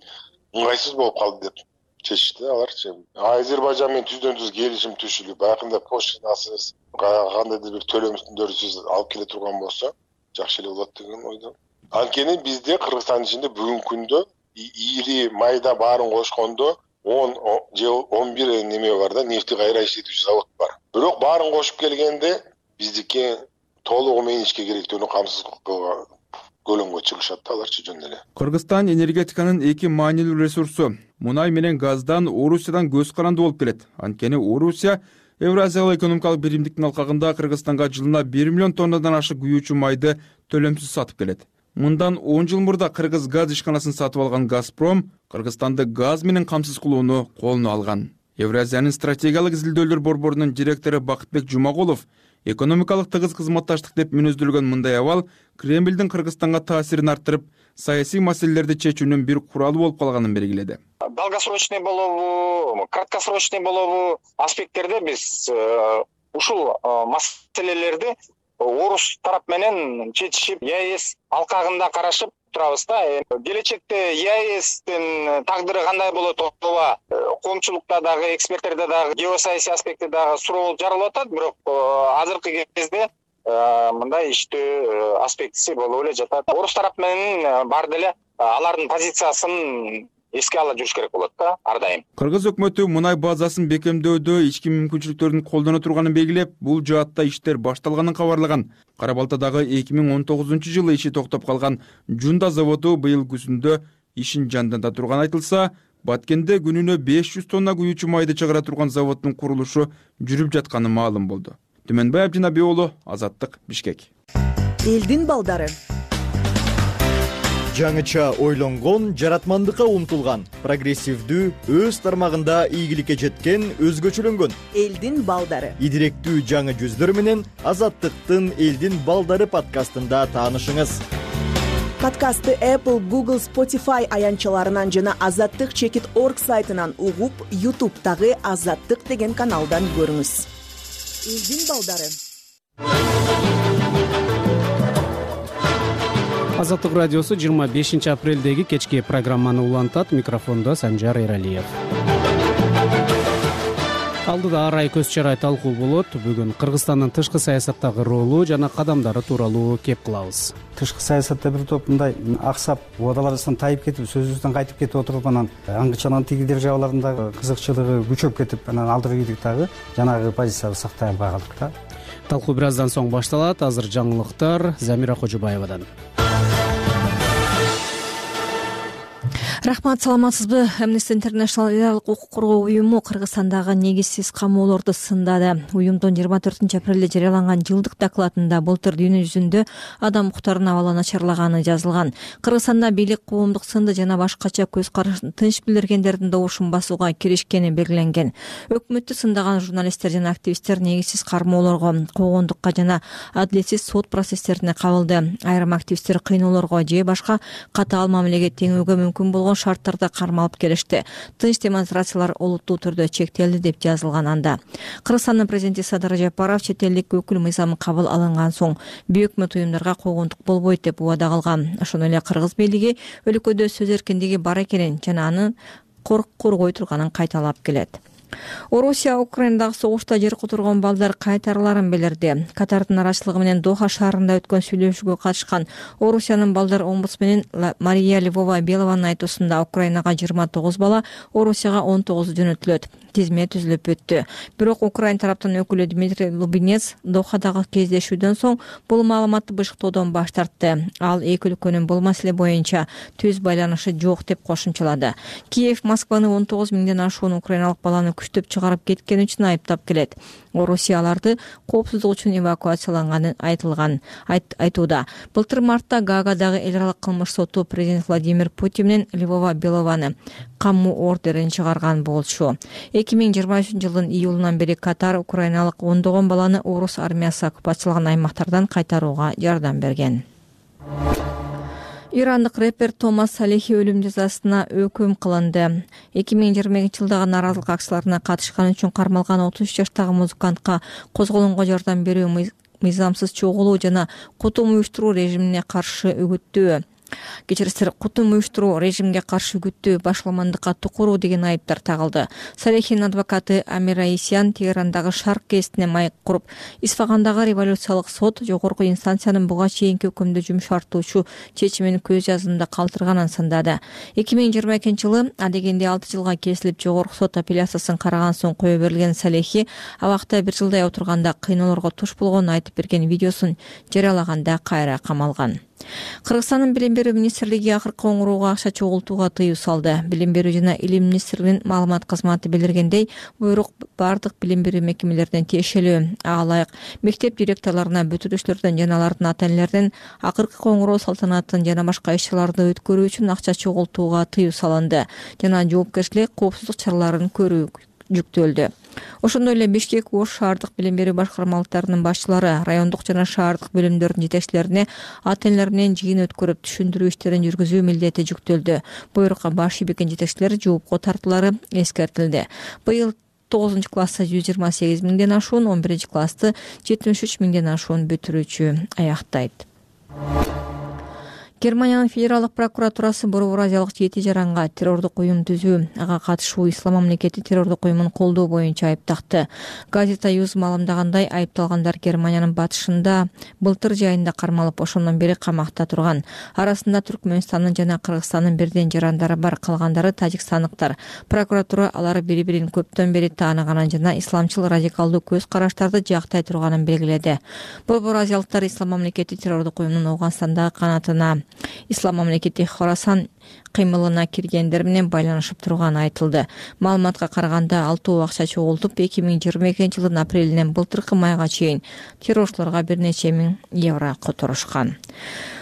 ыңгайсыз болуп калды деп чечишти аларчы. Азербайжан менен түздөн түз келишим түзүлүп, баягында поштасыз, кандайдыр бир төлөмдөрсүз алып келе турган болсо, жакшы эле болот деген ойдо. Анткени бизде Кыргызстандын ичинде бүгүнкү күндө ири майда баарын кошкондо 10 же 11 неме бар да, нефти кайра иштетүүчү завод бар. Бирок баарын кошуп келгенде биздики толугу менен ишке керектүүнү камсыз кылган көлөмгө чыгышат да аларчы жөн эле. Кыргызстан энергетиканын эки маанилүү ресурсу мунай менен газдан Орусиядан көз каранды болуп келет. Анткени Орусия Евразиялык экономикалык биримдиктин алкагында Кыргызстанга жылына 1 миллион тоннадан ашык күйүүчү майды төлөмсүз сатып келет. Мындан 10 жыл мурда Кыргыз газ ишканасын сатып алган Газпром Кыргызстанды газ менен камсыз кылууну колуна алган. Евразиянын стратегиялык изилдөөлөр борборунун директору Бакытбек Жумагулов экономикалык тыгыз кызматташтык деп мүнөздөлгөн мындай абал Кремлдин Кыргызстанга таасирин арттырып, саясий маселелерди чечүүнүн бир куралы болуп калганын белгиледи. Долгосрочный болобу, краткосрочный болобу аспекттерде биз ушул маселелерди орус тарап менен чечишип, ЕАЭС алкагында карашып турабыз да. Келечекте ЕАЭСтин тагдыры кандай болот, ооба коомчулукта дагы, эксперттерде дагы, геосаясий аспектте дагы суроо жаралып атат. Бирок азыркы кезде мындай иштөө аспектиси болуп эле жатат. Орус тарап менен баары деле алардын позициясын эске ала жүрүш керек болот да ар дайым. Кыргыз өкмөтү мунай базасын бекемдөөдө ички мүмкүнчүлүктөрдүн колдоно турганын белгилеп, бул жаатта иштер башталганын кабарлаган. Кара Балтадагы 2019-жылы иши токтоп калган Жунда заводу быйыл күзүндө ишин жанданда турганы айтылса, Баткенде күнүнө 500 тонна куюучу майды чыгара турган заводдун курулушу жүрүп жатканы маалым болду. Түмөнбай Абдинабий уулу, Азаттык, Бишкек. Элдин балдары. Жаңыча ойлонгон, жаратмандыкка умтулган, прогрессивдүү, өз тармагында ийгиликке жеткен, өзгөчөлөнгөн элдин балдары. Идиректүү жаңы жүздөр менен Азаттыктын Элдин балдары подкастында таанышыңыз. Подкастты Apple, Google, Spotify аянтчаларынан жана azattik.org сайтынан угуп, YouTube'дагы Азаттык деген каналдан көрүңүз. Элдин балдары. Азаттык радиосу 25 апрелдеги кечки программаны улантат. Микрофондо Санжар Эралиев. Алдыда ар ай көз чарай талкуу болот. Бүгүн Кыргызстандын тышкы саясаттагы ролу жана кадамдары тууралуу кеп кылабыз. Тышкы саясатта бир топ мындай аксап, убадаларыбыздан тайып кетип, сөзүбүздөн кайтып кетип отуруп, анан аңгычанын тигидер жабаларындагы кызыкчылыгы күчөп кетип, анан алдыры кийдик дагы жанагы позициябызды сактай албай калдык да. Талкуу бир аздан соң башталат. Азыр жаңылыктар Замира Кожубаевадан. Рахмат, саламатсызбы? Amnesty International элдик укук коргоо уюму Кыргызстандагы негизсиз камоолорду сындады. Уюмдун 24 апрелде жарыяланган жылдык докладында былтыр дүйнө жүзүндө адам укуктарынын абалы начарлаганы жазылган. Кыргызстанда бийлик коомдук сынды жана башкача көз карашын тынч билдиргендердин добушун басууга киришкени белгиленген. Өкмөттү сындаган журналисттер жана активисттер негизсиз кармоолорго, коомдукка жана адилетсиз сот процесстерине кабылды. Айрым активисттер кыйноолорго же башка катаал мамилеге теңүүгө мүмкүн болгон шарттарда кармалып келишти. Тынч демонстрациялар олуттуу түрдө чектелди деп жазылган анда. Кыргызстандын президенти Садыр Жапаров чет элдик өкүл мыйзамы кабыл алынган соң бейөкмөт уюмдарга койгондук болбойт деп убада кылган. Ошондой эле кыргыз бийлиги өлкөдө сөз эркиндиги бар экенин жана аны коргой турганын кайталап келет. Орусия Украинадагы согушта жер которгон балдар кайтарыларын билдирди. Катардын арачылыгы менен Доха шаарында өткөн сүйлөшүүгө катышкан Орусиянын балдар омбудсмени Мария Львова-Белованын айтуусунда Украинага 29 бала, Орусияга 19 жөнөтүлөт. Тизме түзүлүп өттү. Бирок Украин тараптын өкүлү Дмитрий Лубинец Дохадагы кездешүүдөн соң бул маалыматты бышыктоодон баш тартты. Ал эки өлкөнүн бул маселе боюнча түз байланышы жок деп кошумчалады. Киев Москваны 19 миңден ашуун украиналык баланы күчтөп чыгарып кеткени үчүн айыптап келет. Орусия аларды коопсуздук үчүн эвакуацияланганын айтууда. Былтыр мартта Гаагадагы эл аралык кылмыш соту президент Владимир Путин менен Львова-Белованы камуу ордерин чыгарган болчу. 2023 жылдын июлунан бери Катар украиналык ондогон баланы орус армиясы оккупациялаган аймактардан кайтарууга жардам берген. Ирандык рэпер Томас Салихи өлүм жазасына өкүм кылынды. 2020 жылдагы нааразылык акцияларына катышканы үчүн кармалган 33 жаштагы музыкантка козголоңго жардам берүү, мыйзамсыз чогулуу жана кутум уюштуруу режимине каршы үгүттөө. Кутум уюштуруу режимге каршы үгүттөө, башаламандыкка тукуруу деген айыптар тагылды. Салихинин адвокаты Амир Аисян Теherandагы Шарк гезитине майк куруп, Исфагандагы революциялык сот жогорку инстанциянын буга чейинки өкүмдү жумшартуучу чечимин көз жазында калтырганын сындады. 2022 жылы адегенде 6 жылга кесилип жогорку сот апелляциясын караган соң кое берилген Салихи абакта 1 жылдай отурганда кыйноолорго туш болгонун айтып берген видеосун жарыялаганда кайра камалган. Кыргызстандын билим берүү министрлиги акыркы коңурууга акча чогултууга тыюу салды. Билим берүү жана илим министрлигинин маалымат кызматы билдиргендей, буйрук бардык билим берүү мекемелеринен тиешелүү. Ага ылайык мектеп директорлоруна, бүтүрүүчүлөрдөн жана алардын ата-энелерден акыркы коңуроо салтанатын жана башка иш-чараларды өткөрүү үчүн акча чогултууга тыюу салынды жана жоопкерчилик, коопсуздук чараларын көрүү жүктөлдү. Ошондой эле Бишкек Ош шаардык билим берүү башкармалыктарынын башчылары райондук жана шаардык бөлүмдөрдүн жетекчилерине ата-энелер менен жыйын өткөрүп түшүндүрүү иштерин жүргүзүү милдети жүктөлдү. Буйрукка баш ийбекен жетекчилер жоопко тартуулары эскертилди. Быйыл 9 класста 128 миңден ашуун, 11 классты 73 миңден ашуун бүтүрүүчү аяктайт. Германиянын федералдык прокуратурасы Борбор Азиялык жети жаранга террордук уюм түзүү, ага катышуу Ислам мамлекети террордук уюмун колдоо боюнча айыптакты. Газета Юз маалымдагандай, айыпталгандар Германиянын батышында былтыр жайында кармалып, ошондон бери камакта турган. Арасында Түркмөнстандын жана Кыргызстандын бирден жарандары бар, калгандары тажикстандыктар. Прокуратура алар бири-бирин көптөн бери тааныганын жана исламчыл радикалдуу көз караштарды жактай турганын белгиледи. Борбор Азиялыктар Ислам мамлекети террордук уюмунун Ауганстандагы канатына Ислам мамлекети Хорасан кыймылына киргендер менен байланышып турганы айтылды. Маалыматка караганда 6 акча чогултуп 2022 жылдын апрелинен былтыркы майга чейин террорчуларга бир нече миң евро которушкан.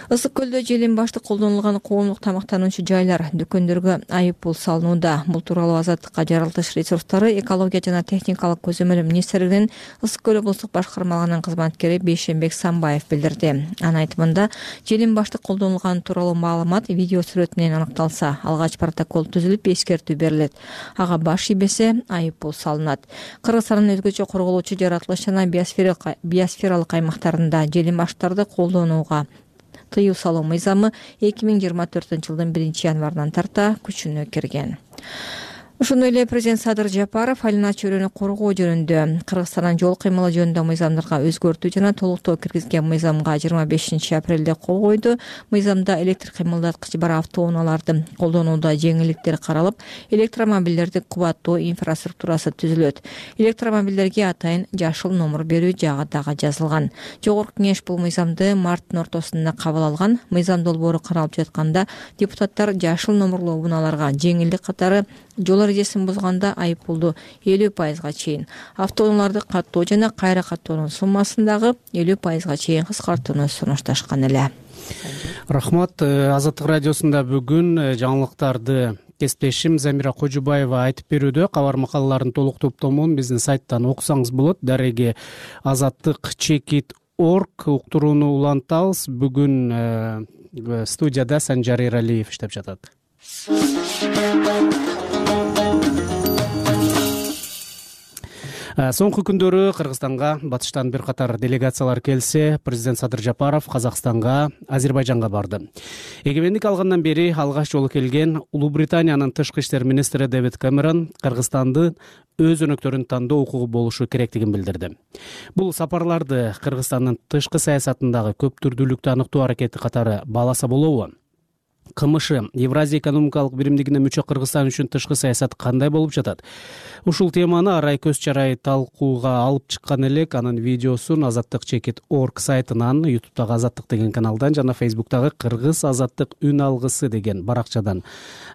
Ысык көлдө желин башты колдонулган коомдук тамактануучу жайлар дүкөндөргө айып пул салынууда. Бул тууралуу Азаттыкка жарылтыш ресурстары, экология жана техникалык көзөмөл министрлигинин Ысык көл облустук башкармалыгынын кызматкери Бейшенбек Самбаев билдирди. Анын айтымында, желин башты колдонулган тууралуу маалымат видео сүрөт менен аныкталса, алгач протокол түзүлүп эскертүү берилет. Ага баш ийбесе айып пул салынат. Кыргызстандын өзгөчө корголуучу жаратылыш жана биосфералык аймактарында желин баштарды колдонууга тыюу салуу мыйзамы 2024 жылдын 1-январынан тарта күчүнө кирген. Ошондой эле президент Садыр Жапаров айлана чөйрөнү коргоо жөнүндө Кыргызстандын жол кыймылы жөнүндө мыйзамдарга өзгөртүү жана толуктоо киргизген мыйзамга 25 апрелде кол койду. Мыйзамда электр кыймылдаткыч бар автоунааларды колдонууда жеңилдиктер каралып, электромобилдердин кубаттуу инфраструктурасы түзүлөт. Электромобилдерге атайын жашыл номер берүү жагы дагы жазылган. Жогорку кеңеш бул мыйзамды марттын ортосунда кабыл алган. Мыйзам долбоору каралып жатканда депутаттар жашыл номерлуу унааларга жеңилдик катары жол эрежесин бузганда айып пулду 50% чейин, автоунааларды каттоо жана кайра каттоонун суммасындагы 50% чейин кыскартууну сунушташкан эле. Рахмат. Азаттык радиосунда бүгүн жаңылыктарды кесиптешим Замира Кожубаева айтып берүүдө. Кабар макалаларын толук топтомун биздин сайттан окусаңыз болот. Дареги azattik.org уктурууну улантабыз. Бүгүн студияда Санжар Эралиев иштеп жатат. Соңку күндөрү Кыргызстанга батыштан бир катар делегациялар келсе, президент Садыр Жапаров Казакстанга, Азербайжанга барды. Эгемендик алгандан бери алгач жолу келген Улуу Британиянын тышкы иштер министри Дэвид Кэмерон Кыргызстанды өз өнөктөрүн тандоо укугу болушу керектигин билдирди. Бул сапарларды Кыргызстандын тышкы саясатындагы көп түрдүүлүктү аныктоо аракети катары бааласа болобу? КМШ Евразия экономикалык биримдигине мүчө Кыргызстан үчүн тышкы саясат кандай болуп жатат? Ушул теманы арай көз чарай талкууга алып чыккан элек. Анын видеосун azattik.org сайтынан, YouTube'дагы Азаттык деген каналдан жана Facebook'тагы Кыргыз Азаттык үн алгысы деген баракчадан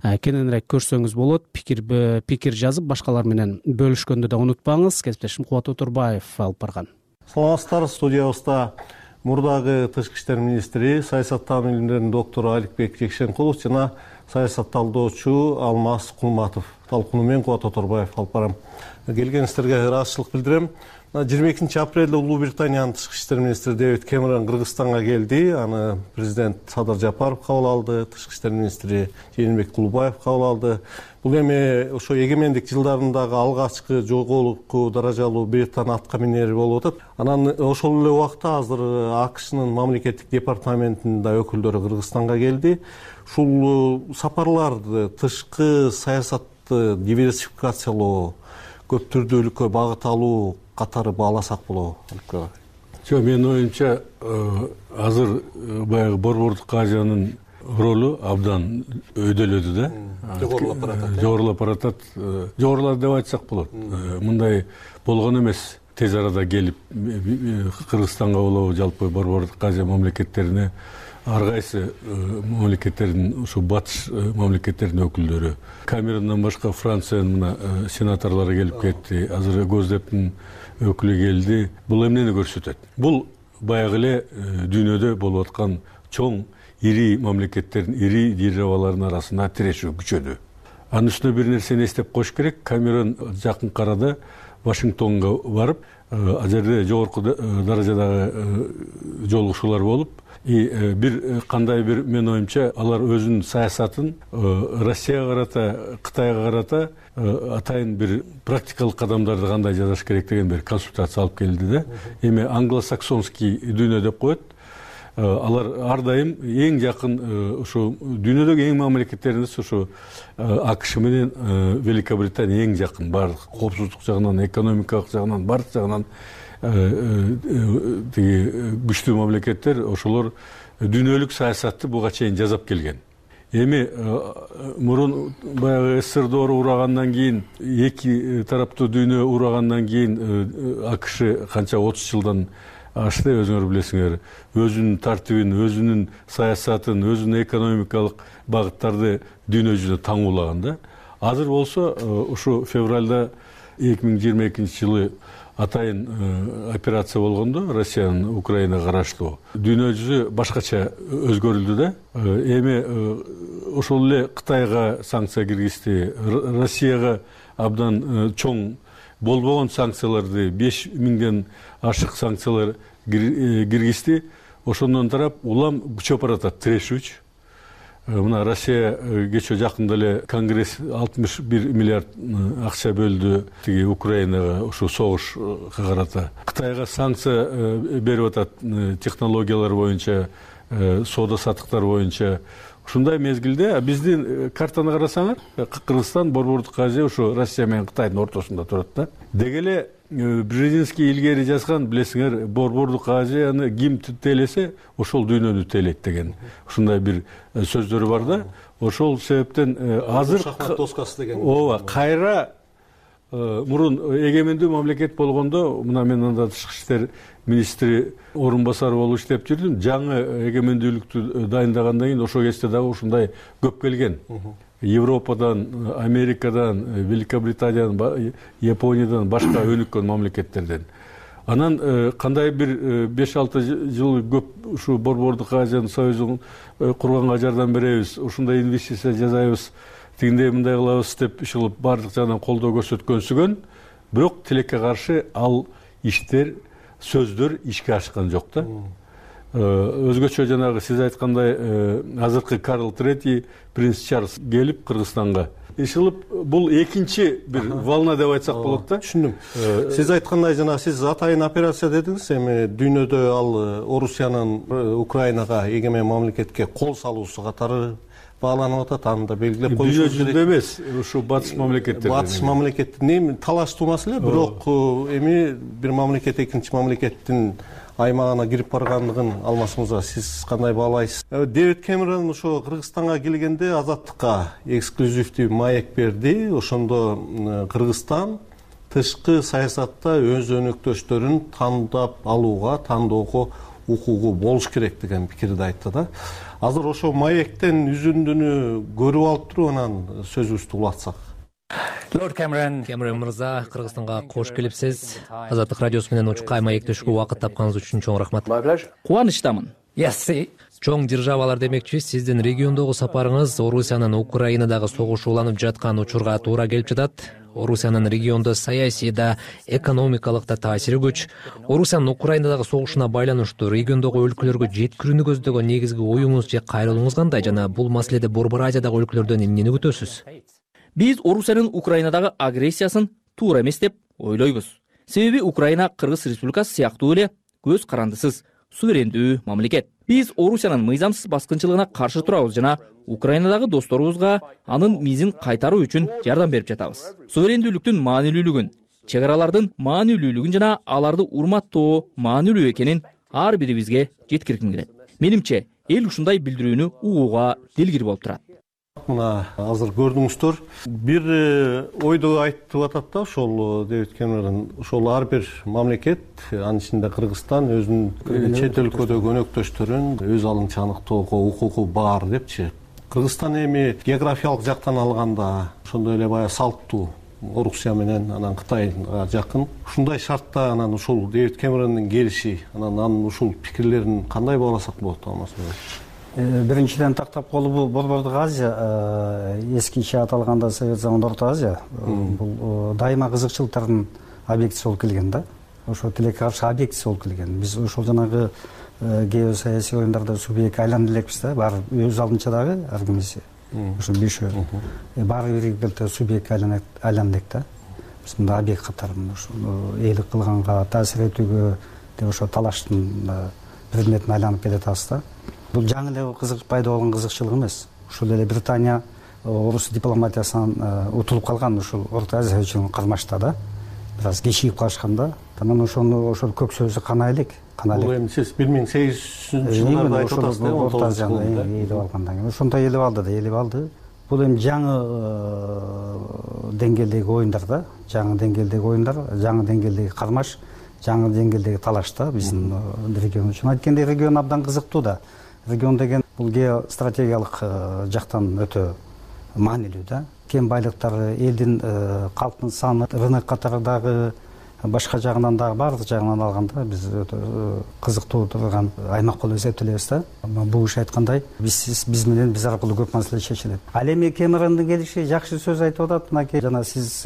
кененирээк көрсөңүз болот. Пикир жазып, башкалар менен бөлүшкөндү да унутпаңыз. Кесиптешим Кубат Отурбаев алып барган. Саламатсыздар, студиябызда мурдагы тышкы иштер министри, саясаттануу илимдеринин доктору Аликбек Жекшенкулов жана саясат талдоочу Алмаз Кулматов. Талкууну мен Кубат Оторбаев алып барам. Келгениңиздерге ыраазычылык билдирем. 22 апрелде Улуу Британиянын тышкы иштер министри Дэвид Кэмерон Кыргызстанга келди. Аны президент Садыр Жапаров кабыл алды, тышкы иштер министри Жээнбек Тулубаев кабыл алды. Бул эми ошо эгемендик жылдарындагы алгачкы жогорку даражалуу Британ атка минери болуп атат. Анан ошол эле убакта азыр АКШнын мамлекеттик департаментинин да өкүлдөрү Кыргызстанга келди. Ушул сапарларды тышкы саясатты диверсификациялоо, көп түрдүүлүккө багыт алуу катары бааласак болобу? Жок, менин оюмча азыр баягы Борбордук Азиянын ролу абдан өйдөлөдү да. Жогорулап баратат. Жогорулады деп айтсак болот. Мындай болгон эмес. Тез арада келип Кыргызстанга болобу, жалпы Борбордук Азия мамлекеттерине ар кайсы мамлекеттердин, ушу батыш мамлекеттердин өкүлдөрү. Камерондон башка Франциянын мына сенаторлору келип кетти. Азыр Госдептин өкүлү келди. Бул эмнени көрсөтөт? Бул баягы эле дүйнөдө болуп аткан чоң ири мамлекеттердин, ири державалардын арасында тирешүү күчөдү. Анын үстүнө бир нерсени эстеп коюш керек. Камерон жакынкы арада Вашингтонго барып, ал жерде жогорку даражадагы жолугушуулар болуп, бир кандай бир, менин оюмча, алар өзүнүн саясатын Россияга карата, Кытайга карата атайын бир практикалык кадамдарды кандай жасаш керек деген бир консультация алып келди да. Эми англосаксонский дүйнө деп коет. алар ар дайым эң жакын ушу дүйнөдөгү эң мамлекеттерибиз ушу АКШ менен Великобритания эң жакын, баардык коопсуздук жагынан, экономикалык жагынан, баардык жагынан тиги күчтүү мамлекеттер. Ошолор дүйнөлүк саясатты буга чейин жасап келген. Эми мурун баягы СССР урагандан кийин, эки тараптуу дүйнө урагандан кийин АКШ канча 30 жылдан ашты, өзүңөр билесиңер, өзүнүн тартибин, өзүнүн саясатын, өзүнүн экономикалык багыттарды дүйнө жүзүнө таңуулаган да. Азыр болсо ушу февралда 2022 жылы атайын операция болгондо, Россиянын Украинага караштуу дүйнө жүзү башкача өзгөрүлдү да. Эми ошол эле Кытайга санкция киргизди, Россияга абдан чоң болбогон санкцияларды, 5000ден ашык санкциялар киргизди. Ошондон тарап улам күчөп баратат, тирешүүчү. Мына Россия кечээ жакында эле Конгресс 61 миллиард акча бөлдү тиги Украинага, ушу согушка карата. Кытайга санкция берип атат технологиялар боюнча, соода саттыктар боюнча. Ушундай мезгилде биздин картаны карасаңар, Кыргызстан, Борбордук Азия ушу Россия менен Кытайдын ортосунда турат да. Деги эле Брежинский илгери жазган, билесиңер, Борбордук Азияны ким тейлесе, ошол дүйнөнү тейлейт деген ушундай бир сөздөрү бар да. Ошол себептен азыр шахмат доскасы деген. Ооба, кайра мурун эгемендүү мамлекет болгондо, мына мен анда тышкы иштер министри орун басары болуп иштеп жүрдүм. Жаңы эгемендүүлүктү дайындагандан кийин ошол кезде дагы ушундай көп келген. Европадан, Америкадан, Великобританиядан, Япониядан, башка өнүккөн мамлекеттерден. Анан кандай бир 5-6 жыл көп ушу Борбордук Азиянын союзун курганга жардам беребиз, ушундай инвестиция жасайбыз, тигиндей мындай кылабыз деп ишилип баардык жагынан колдоо көрсөткөнсүгөн, бирок тилекке каршы ал иштер, сөздөр ишке ашкан жок да. Өзгөчө жанагы сиз айткандай азыркы Карл III, принц Чарльз келип Кыргызстанга ишилип, бул экинчи бир волна деп айтсак болот да. Түшүндүм. Сиз айткандай жана сиз атайын операция дедиңиз, эми дүйнөдө ал Орусиянын Украинага эгемен мамлекетке кол салуусу катары бааланып атат. Аны да белгилеп коюшубуз керек. Дүйнө жүзүндө эмес, ушу батыш мамлекеттерде. Батыш мамлекеттин талаштуу маселе, бирок эми бир мамлекет экинчи мамлекеттин аймагына кирип баргандыгын алмашыңызга сиз кандай баалайсыз? Дэвид Кэмерон ошо Кыргызстанга келгенде Азаттыкка эксклюзивдүү маек берди. Ошондо Кыргызстан тышкы саясатта өз өнөктөштөрүн тандап алууга, тандоого укугу болуш керек деген пикирди айтты да. Азыр ошо маектен үзүндүнү көрүп алып туруп анан сөзүбүздү улатсак. Лорд Кэмерон мырза, Кыргызстанга кош келипсиз. Азаттык радиосу менен учукка маектешүүгө убакыт тапканыңыз үчүн чоң рахмат. Кубанычтамын. Чоң державалар демекчи, сиздин региондогу сапарыңыз Орусиянын Украинадагы согуш уланып жаткан учурга туура келип жатат. Орусиянын региондо саясий да, экономикалык да таасири күч. Орусиянын Украинадагы согушуна байланыштуу региондогу өлкөлөргө жеткирүүнү көздөгөн негизги оюңуз же кайрылууңуз кандай, жана бул маселеде Борбор Азиядагы өлкөлөрдөн эмнени күтөсүз? Биз Орусиянын Украинадагы агрессиясын туура эмес деп ойлойбуз. Себеби Украина Кыргыз Республикасы сыяктуу эле көз карандысыз, суверендүү мамлекет. Биз Орусиянын мыйзамсыз баскынчылыгына каршы турабыз жана Украинадагы досторубузга анын мизин кайтаруу үчүн жардам берип жатабыз. Суверендүүлүктүн маанилүүлүгүн, чек аралардын маанилүүлүгүн жана аларды урматтоо маанилүү экенин ар бирибизге жеткиргим келет. Менимче, эл ушундай билдирүүнү угууга дилгир болуп турат. Мына азыр көрдүңүздөр, бир ойду айтып атат да, ошол Дэвид Кэмерон, ошол ар бир мамлекет, анын ичинде Кыргызстан өзүнүн чет өлкөдөгү өнөктөштөрүн өз алынча аныктоого укугу бар депчи. Кыргызстан эми географиялык жактан алганда ошондой эле баягы салттуу Орусия менен анан Кытайга жакын. Ушундай шартта анан ушул Дэвид Кэмерондун келиши, анан ушул пикирлерин кандай бааласак болот алмасыңыз? Биринчиден тактап колу Борбордук Азия, эскиче аталганда Совет заманында Орто Азия, бул дайыма кызыкчылыктардын объектиси болуп келген да. Ошо тилекке каршы объектиси болуп келген. Биз ошол жанагы геосаясий оюндарда субъект айланып элекпиз да, баары өз алдынча дагы ар кимиси. Ошо бешөө. Баары бир субъект айланып да. Биз мында объект катары ошо ээлик кылганга, таасир этүүгө, деп ошо талаштын предметине айланып келатабыз да. Бул жаңы эле пайда болгон кызыкчылык эмес. Ушул эле Британия орус дипломатиясынан утулуп калган ушул Орто Азия үчүн кармашта да. Бир аз кечигип калышканда, анан ошол көк сөзү канайлык. Бул эми сиз 1800-жылдарда айтып атасыз да, Орто Азияны ээлеп алгандан кийин ошондой ээлеп алды. Бул эми жаңы деңгээлдеги оюндар да, жаңы деңгээлдеги кармаш, жаңы деңгээлдеги талаш да биздин регион үчүн. Айткендей, регион абдан кызыктуу да. Регион деген бул геостратегиялык жактан өтө маанилүү да. Кен байлыктары, элдин калктын саны, рынок катары дагы башка жагынан дагы баардык жагынан алганда биз өтө кызыктуу турган аймак болуп эсептелебиз да. Бул киши айткандай, биз менен биз аркылуу көп маселе чечилет. Ал эми Кэмерондун келиши жакшы сөз айтып атат. Мынакей жана сиз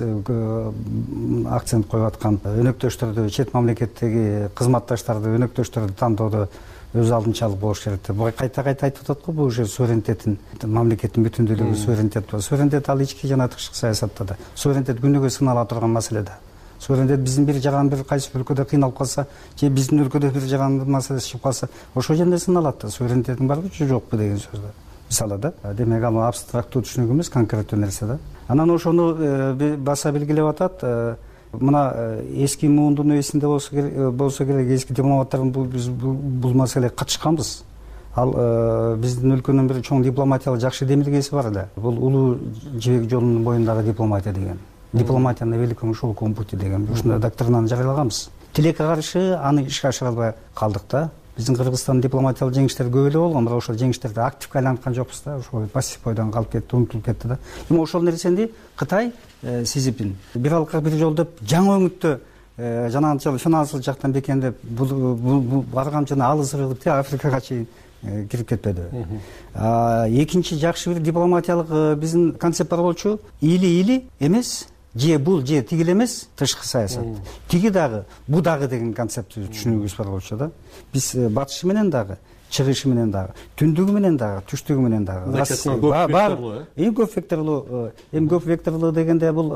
акцент коюп аткан өнөктөштөрдү, чет мамлекеттеги кызматташтарды, өнөктөштөрдү тандоодо өз алдынчалык болуш керек деп кайта айтып атат го. Бул уже суверенитеттин, мамлекеттин бүтүндүүлүгү суверенитет бар. Суверенитет ал ички жана тышкы саясатта да. Суверенитет күнүгө сынала турган маселе да. Суверенитет биздин бир жаган бир кайсы өлкөдө кыйналып калса, же биздин өлкөдө бир жаган маселеси чыгып калса, ошол жерде сыналат да. Суверенитеттин барбы же жокпу деген сөз да. Мисалы да. Демек ал абстрактуу түшүнүк эмес, конкреттүү нерсе да. Анан ошону баса белгилеп атат. Мына эски муундун эсинде болсо керек, эски дипломаттардын бул маселеге катышканбыз. Ал биздин өлкөнүн бир чоң дипломатиялык жакшы демилгеси бар эле. Бул улуу жибек жолунун боюндагы дипломатия деген. Дипломатия на великом шелковом пути деген ушундай доктринаны жарыялаганбыз. Тилекке каршы аны ишке ашыра албай калдык да. Биздин Кыргызстандын дипломатиялык жеңиштери көп эле болгон, бирок ошол жеңиштерди активге айланткан жокпуз да. Ошол пассив бойдон калып кетти, унутулуп кетти да. Эми ошол нерсени Кытай Си Цзиньпин бир алка бир жол деп жаңы өңүттө жанагынчалык финансылык жактан бекемдеп бул барган жана алыс ыргып Африкага чейин кирип кетпеди. Экинчи жакшы бир дипломатиялык биздин концепт бар болчу. Или эмес, же бул же тигил эмес, тышкы саясат. Тиги дагы, бу дагы деген концепт түшүнүгүбүз бар болчу да. Биз батышы менен дагы, чыгышы менен дагы, түндүгү менен дагы, түштүгү менен дагы. Эң көп векторлуу, эми көп векторлуу дегенде бул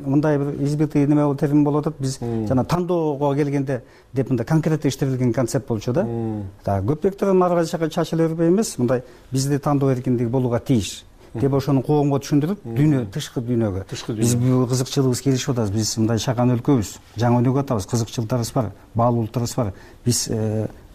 мындай бир избитый неме термин болуп атат. Биз жана тандоого келгенде деп мындай конкреттүү иштелген концепт болчу да. Көп вектордон ары кайча чачыла бербей эмес, мындай бизде тандоо эркиндиги болууга тийиш деп ошону коомго түшүндүрүп, дүйнө, тышкы дүйнөгө. Биз кызыкчылыгыбыз келишип атабыз. Биз мындай чакан өлкөбүз, жаңы өнүгүп атабыз, кызыкчылыктарыбыз бар, баалуулуктарыбыз бар. Биз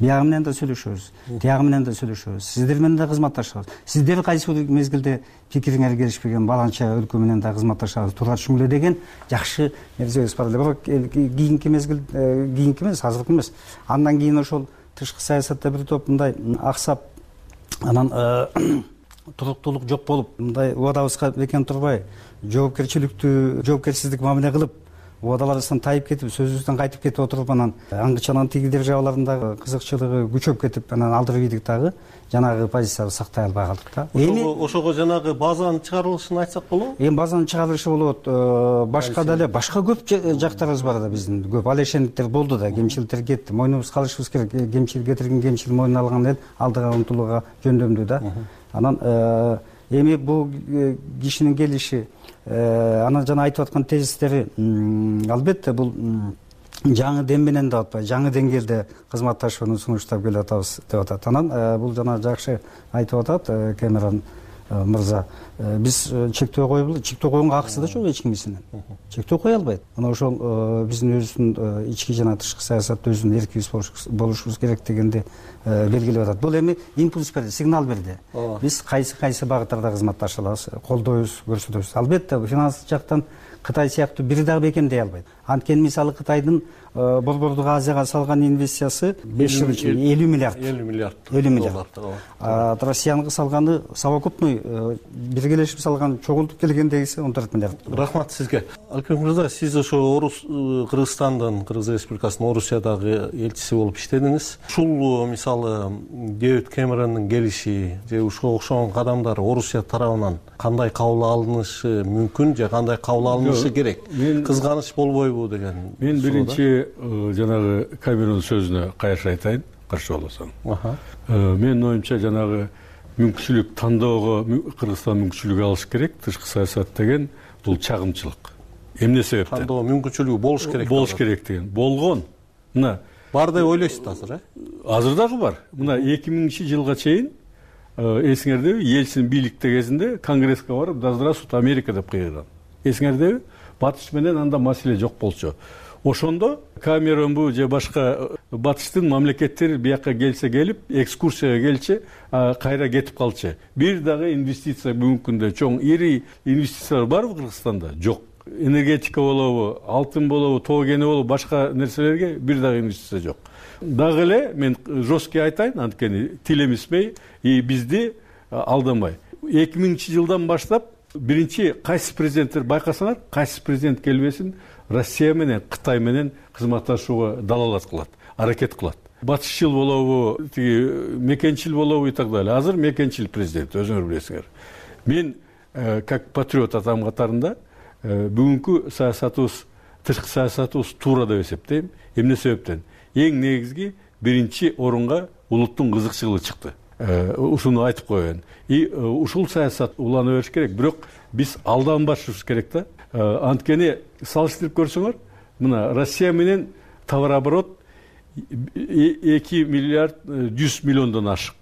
биягы менен да сүйлөшөбүз, тиягы менен да сүйлөшөбүз. Сиздер менен да кызматташабыз. Сиздер кайсы бир мезгилде пикириңер келишпеген баланча өлкө менен да кызматташабыз, туура түшүнгүлө деген жакшы нерсебиз бар эле. Бирок кийинки мезгил, кийинки эмес, азыркы эмес. Андан кийин ошол тышкы саясатта бир топ мындай аксап, анан туруктуулук жок болуп, мындай убадабызга бекем турбай, жоопкерчиликтүү мамиле кылып, убадаларыбыздан тайып кетип, сөзүбүздөн кайтып кетип отуруп, анан аңгычанын тиги державаларындагы кызыкчылыгы күчөп кетип, анан алдырып ийдик дагы жанагы позициябызды сактай албай калдык да. Ошого жанагы базанын чыгарылышын айтсак болобу? Эми базанын чыгарылышы болот. Башка деле башка көп жактарыбыз бар да биздин. Көп алешендиктер болду да, кемчиликтер кетти. Мойнубуз калышыбыз керек. Кемчилик кетирген кемчил мойнуна алган эл алдыга умтулууга жөндөмдүү да. Анан эми бул кишинин келиши, анан жана айтып аткан тезистери албетте бул жаңы дем менен да атпай, жаңы деңгээлде кызматташууну сунуштап келе атабыз деп атат. Анан бул жана жакшы айтып атат Кэмерон мырза. Биз чектөө койгонго акысы да жок эч кимисинин. Чектөө кое албайт. Мына ошол биздин өзүбүздүн ички жана тышкы саясатта өзүбүздүн эркибиз болушубуз керек дегенди белгилеп атат. Бул эми импульс берди, сигнал берди. Биз кайсы багыттарда кызматташа алабыз, колдойбуз, көрсөтөбүз. Албетте финанс жактан Кытай сыяктуу бир дагы бекемдей албайт. Анткени мисалы Кытайдын Борбордук Азияга салган инвестициясы 5 жыл ичинде 50 миллиард. 50 миллиард. Россиянын салганы совокупный биргелешип салган чогултуп келгендегиси 14 миллиард. Рахмат сизге. Алкебек мырза, сиз ошо Кыргызстандын, Кыргыз Республикасынын Орусиядагы элчиси болуп иштедиңиз. Ушул мисалы Дэвид Кэмерондун келиши же ушуга окшогон кадамдар Орусия тарабынан кандай кабыл алынышы мүмкүн же кандай кабыл алынышы керек? Кызганыч болбойбу деген. Мен биринчи жанагы Кэмерон сөзүнө кайшы айтайын, каршы болосоң. Менин оюмча жанагы мүмкүнчүлүк тандоого Кыргызстан мүмкүнчүлүк алыш керек, тышкы саясат деген бул чагымчылык. Эмне себептен? Тандоо мүмкүнчүлүгү болуш керек. Болуш керек деген. Болгон. Мына бар деп ойлойсуз азыр, Азыр дагы бар. Мына 2000-жылга чейин эсиңердеби, Ельцин бийликте кезинде Конгресске барып, да здравствуйте Америка деп кыйган. Эсиңердеби? Батыш менен анда маселе жок болчу. Ошондо Камеронбу же башка батыштын мамлекеттери бияка келсе келип, экскурсияга келчи, кайра кетип калчы. Бир дагы инвестиция бүгүнкү күндө чоң ири инвестициялар барбы Кыргызстанда? Жок. Энергетика болобу, алтын болобу, тоо кени болобу, башка нерселерге бир дагы инвестиция жок. Дагы эле мен жесткий айтайын, анткени тил эмесмей, бизди алдамай. 2000-жылдан баштап биринчи кайсы президенттер байкасаңар, кайсы президент келбесин Россия менен, Кытай менен кызматташууга далалат кылат, аракет кылат. Батышчыл болобу, мекенчил болобу и так далее. Азыр мекенчил президент, өзүңөр билесиңер. Мен как патриот атам катарында бүгүнкү саясатыбыз, тышкы саясатыбыз туура деп эсептейм. Эмне себептен? Эң негизги биринчи орунга улуттун кызыкчылыгы чыкты. Ушуну айтып коеюн. Ушул саясат улана бериш керек, бирок биз алданбашыбыз керек да. Анткени салыштырып көрсөңөр, мына Россия менен товарооборот 2 миллиард 100 миллиондон ашык.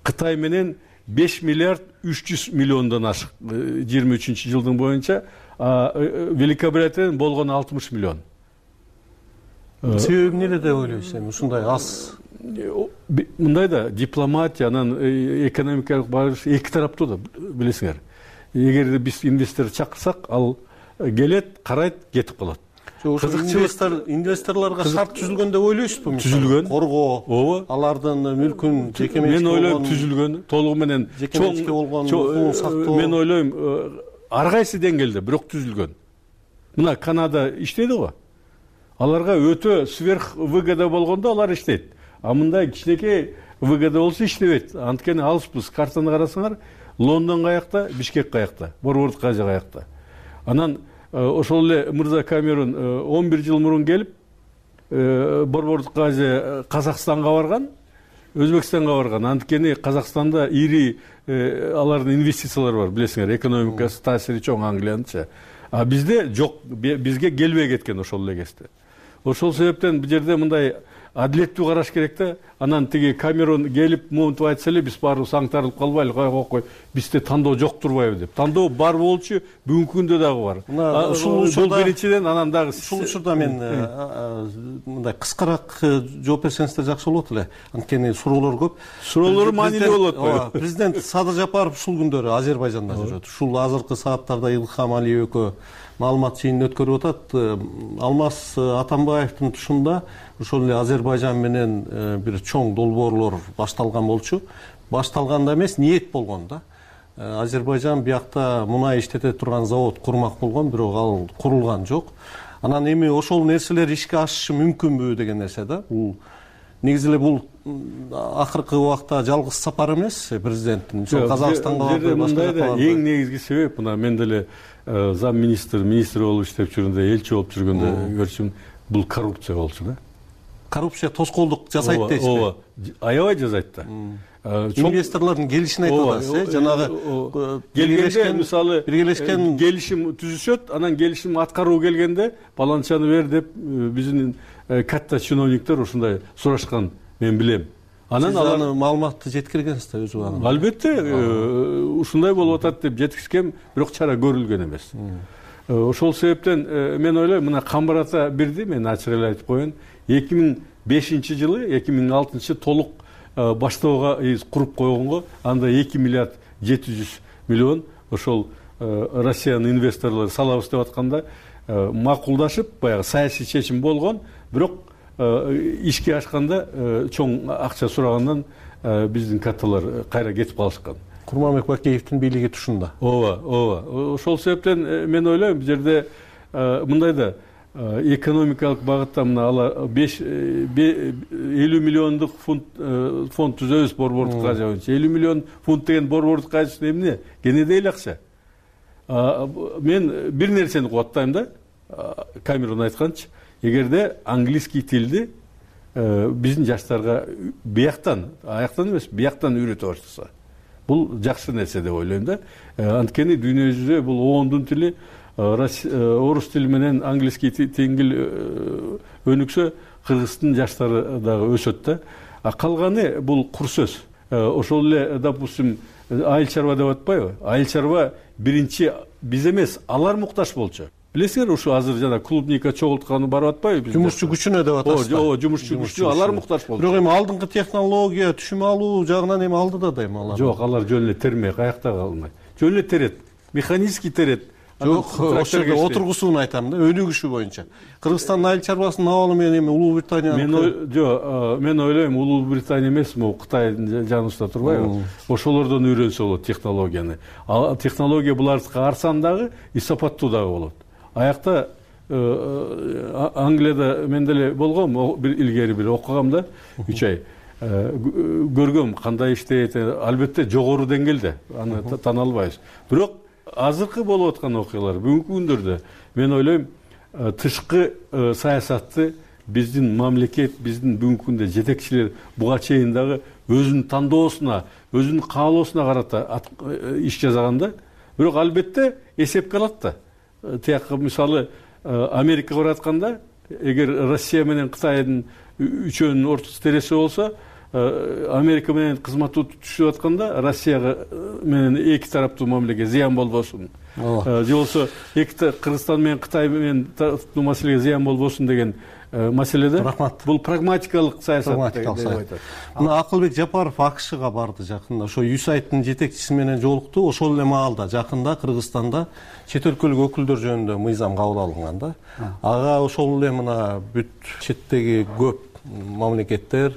Кытай менен 5 миллиард 300 миллиондон ашык 23-жылдын боюнча. Великобританиядан болгон 60 миллион. Себеби эмне деп ойлойсуз? Ушундай аз. Мындай да дипломатия, анан экономикалык барыш эки тараптуу да, билесиңер. Эгерде биз инвестор чакырсак, ал келет, карайт, кетип калат. Инвесторлорго шарт түзүлгөн деп ойлойсузбу? Түзүлгөн. Коргоо, алардын мүлкүн жеке менчикке мен ойлойм түзүлгөн, толугу менен болгон сактоо. Мен ойлойм ар кайсы деңгээлде, бирок түзүлгөн. Мына Канада иштейди го. Аларга өтө сверх выгода болгондо алар иштейт. А мындай кичинекей выгода болсо иштебейт. Анткени алыспыз. Картаны карасаңар, Лондон каякта, Бишкек каякта, Борбордук Азия каякта. Анан ошол эле мырза Камерон 11 жыл мурун келип, Борбордук Азия Казакстанга барган, Өзбекстанга барган. Анткени Казакстанда ири алардын инвестициялары бар, билесиңер, экономикасы таасири чоң Англияныча. А бизде жок, бизге келбей кеткен ошол эле кезде. Ошол себептен бул жерде мындай адилеттүү караш керек да. Анан тиги Камерон келип монтип айтса эле, биз баарыбыз аңтарылып калбайлы, кой, бизде тандоо жок турбайбы деп. Тандоо бар болчу, бүгүнкү күндө дагы бар. Ушул биринчиден, анан дагы ушул учурда мен мындай кыскараак жооп берсеңиздер жакшы болот эле. Анткени суроолор көп. Суроолор маанилүү болот. Президент Садыр Жапаров ушул күндөрү Азербайжанда жүрөт. Ушул азыркы сааттарда Илхам Алиев экөө маалымат жыйынын өткөрүп атат. Алмаз Атамбаевдин тушунда ошол эле Азербайжан менен бир чоң долбоорлор башталган болчу. Башталганда эмес, ниет болгон да. Азербайжан биякта мунай иштете турган завод курмак болгон, бирок ал курулган жок. Анан эми ошол нерселер ишке ашышы мүмкүнбү деген нерсе да. Бул негизи эле бул акыркы убакта жалгыз сапар эмес президенттин. Казакстанга барып, мындай да эң негизги себеп, мына мен деле зам министр болуп иштеп жүргөндө, элчи болуп жүргөндө көрчүм, бул коррупция болчу да. Коррупция тоскоолдук жасайт дейсизби? Ооба, аябай жасайт да. Инвесторлордун келишин айтып атасыз, жанагы келгенде мисалы биргелешкен келишим түзүшөт, анан келишим аткаруу келгенде баланчаны бер деп биздин катта чиновниктер ушундай сурашкан, мен билем. Анан алар маалыматты жеткиргенсиз да өз убагында. Албетте, ушундай болуп атат деп жеткизгем, бирок чара көрүлгөн эмес. Ошол себептен мен ойлойм, мына Камбар ата бирди, мен ачык эле айтып коеюн, 2005-жылы, 2006 толук баштоого куруп койгонго, анда 2 миллиард 700 миллион ошол Россиянын инвесторлору салабыз деп атканда макулдашып, баягы саясий чечим болгон, бирок ишке ашканда чоң акча сурагандан биздин катталар кайра кетип калышкан. Курманбек Бакеевдин бийлиги тушунда. Ооба. Ошол себептен мен ойлойм, бул жерде мындай да экономикалык багытта мына алар 50 миллиондук фонд түзөбүз Борбордук Азия боюнча. 50 миллион фунт деген Борбордук Азия эмне? Кенедей эле акча. Мен бир нерсени кубаттайм да, Камерон айтканчы, эгерде английский тилди биздин жаштарга бияктан, аяктан эмес, бияктан үйрөтө баштаса, бул жакшы нерсе деп ойлойм да. Анткени дүйнө жүзүндө бул оондун тили, орус тили менен английский теңгил өнүксө кыргыздын жаштары дагы өсөт да. А калганы бул кур сөз. Ошол эле, допустим, айыл чарба деп атпайбы? Айыл чарба биринчи биз эмес, алар муктаж болчу. Билесиңер, ушу азыр жана клубника чогултканы барып атпайбы? Жумушчу күчүнө деп атасыздар. Ооба, жумушчу күчүнө алар муктаж болчу. Бирок эми алдыңкы технология, түшүм алуу жагынан эми алдыда да эми алар. Жок, алар жөн эле термей, каякта калмайт. Жөн эле терет, механический терет. Жок, ошол жерде отургусуун айтам да, өнүгүшү боюнча. Кыргызстандын айыл чарбасынын абалы менен эми Улуу Британиянын мен ойлойм, Улуу Британия эмес, могу Кытайдын жаныбызда турбайбы? Ошолордон үйрөнсө болот технологияны. Технология булардыкы арзан дагы, и сапаттуу дагы болот. Аякта Англияда мен деле болгом, бир илгери бир окугам да, 3 ай. Көргөм кандай иштейт, албетте жогору деңгээлде, аны тана албайбыз. Бирок азыркы болуп аткан окуялар бүгүнкү күндөрдө мен ойлойм, тышкы саясатты биздин мамлекет, биздин бүгүнкү күндө жетекчилер буга чейин дагы өзүнүн тандоосуна, өзүнүн каалоосуна карата иш жасаганда, бирок албетте эсепке алат да. Тияка мисалы Америка баратканда, эгер Россия менен Кытайдын үчөөнүн ортосу тереси болсо, Америка менен кызматтуу түшүп атканда Россияга менен эки тараптуу мамлекет зыян болбосун. Же болбосо Кыргызстан менен Кытай менен тараптуу маселеге зыян болбосун деген маселеде бул прагматикалык саясат деп айтат. Мына Акылбек Жапаров АКШга барды жакында. Ошо USAID-тын жетекчиси менен жолукту. Ошол эле маалда жакында Кыргызстанда чет өлкөлүк өкүлдөр жөнүндө мыйзам кабыл алынган да. Ага ошол эле мына бүт четтеги көп мамлекеттер,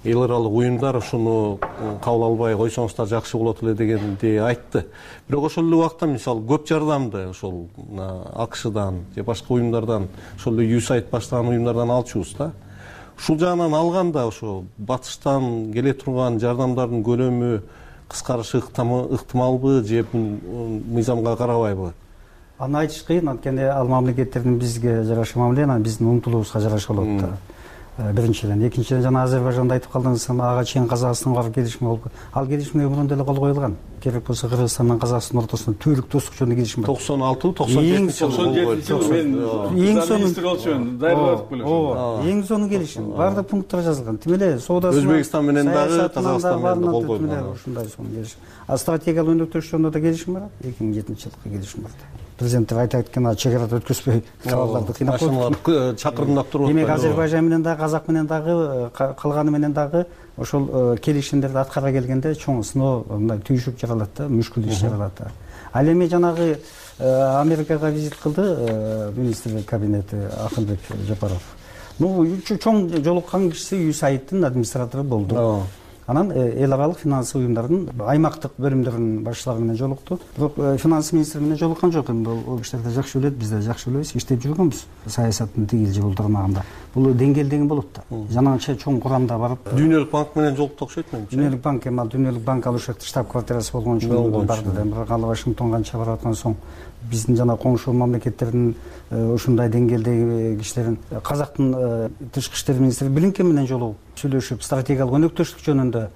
эл аралык уюмдар ушуну кабыл албай койсоңуздар жакшы болот эле дегенди айтты. Бирок ошол эле убакта мисалы көп жардамды ошол АКШдан же башка уюмдардан, ошол эле USAID баштаган уюмдардан алчубуз да. Ушул жагынан алганда ошо батыштан келе турган жардамдардын көлөмү кыскарышы ыктымалбы же бул мыйзамга карабайбы? Аны айтыш кыйын, анткени ал мамлекеттердин бизге жараша мамиле, анан биздин умтулуубузга жараша болот да. Биринчиден, экинчиден жана Азербайжанда айтып калдыңыз, ага чейин Казакстанга келишим болуп, ал келишимге мурунда эле кол коюлган. Керек болсо Кыргызстан менен Казакстан ортосунда түбөлүк достук жөнүндө келишим бар. 96-97 мен министр болчумун, даярдап белем. Эң сонун келишим. Бардык пункттар жазылган. Тим эле соодасы Өзбекстан менен дагы, Казакстан менен да кол койгон. Ушундай сонун келишим. А стратегиялык өнөктөш жөнүндө да келишим бар. 2007-жылкы келишим бар. Президенттер айтат экен, чек арада өткөзбөй кабалдарды кыйнап коюп чакырдап туруп. Демек Азербайжан менен дагы, Казак менен дагы, калганы менен дагы ошол келишимдерди аткара келгенде чоң сыноо мындай түйшүк жаралат да, мүшкүл иш жаралат да. Ал эми жанагы Америкага визит кылды министрлик кабинети Акылбек Жапаров. Чоң жолуккан кишиси USAID-тын администратору болду. Анан эл аралык финансылык уюмдардын аймактык бөлүмдөрүнүн башчылары менен жолукту. Бирок финанс министри менен жолуккан жок. Эми ал кишилер да жакшы билет, биз да жакшы билебиз, иштеп жүргөнбүз саясаттын тигил же бул тармагында. Бул деңгээл деген болот да. Жанагынча чоң курамда барып, Дүйнөлүк банк менен жолукту окшойт менимче. Дүйнөлүк банк эми ал Дүйнөлүк банк ал ушакта штаб-квартирасы болгон үчүн барды да. Бирок ал Вашингтонго канча барып аткан соң биздин жана коңшу мамлекеттердин ушундай деңгээлдеги кишилерин Казактын тышкы иштер министри Блинкен менен жолугуп сүйлөшүп стратегиялык өнөктөштүк жөнүндө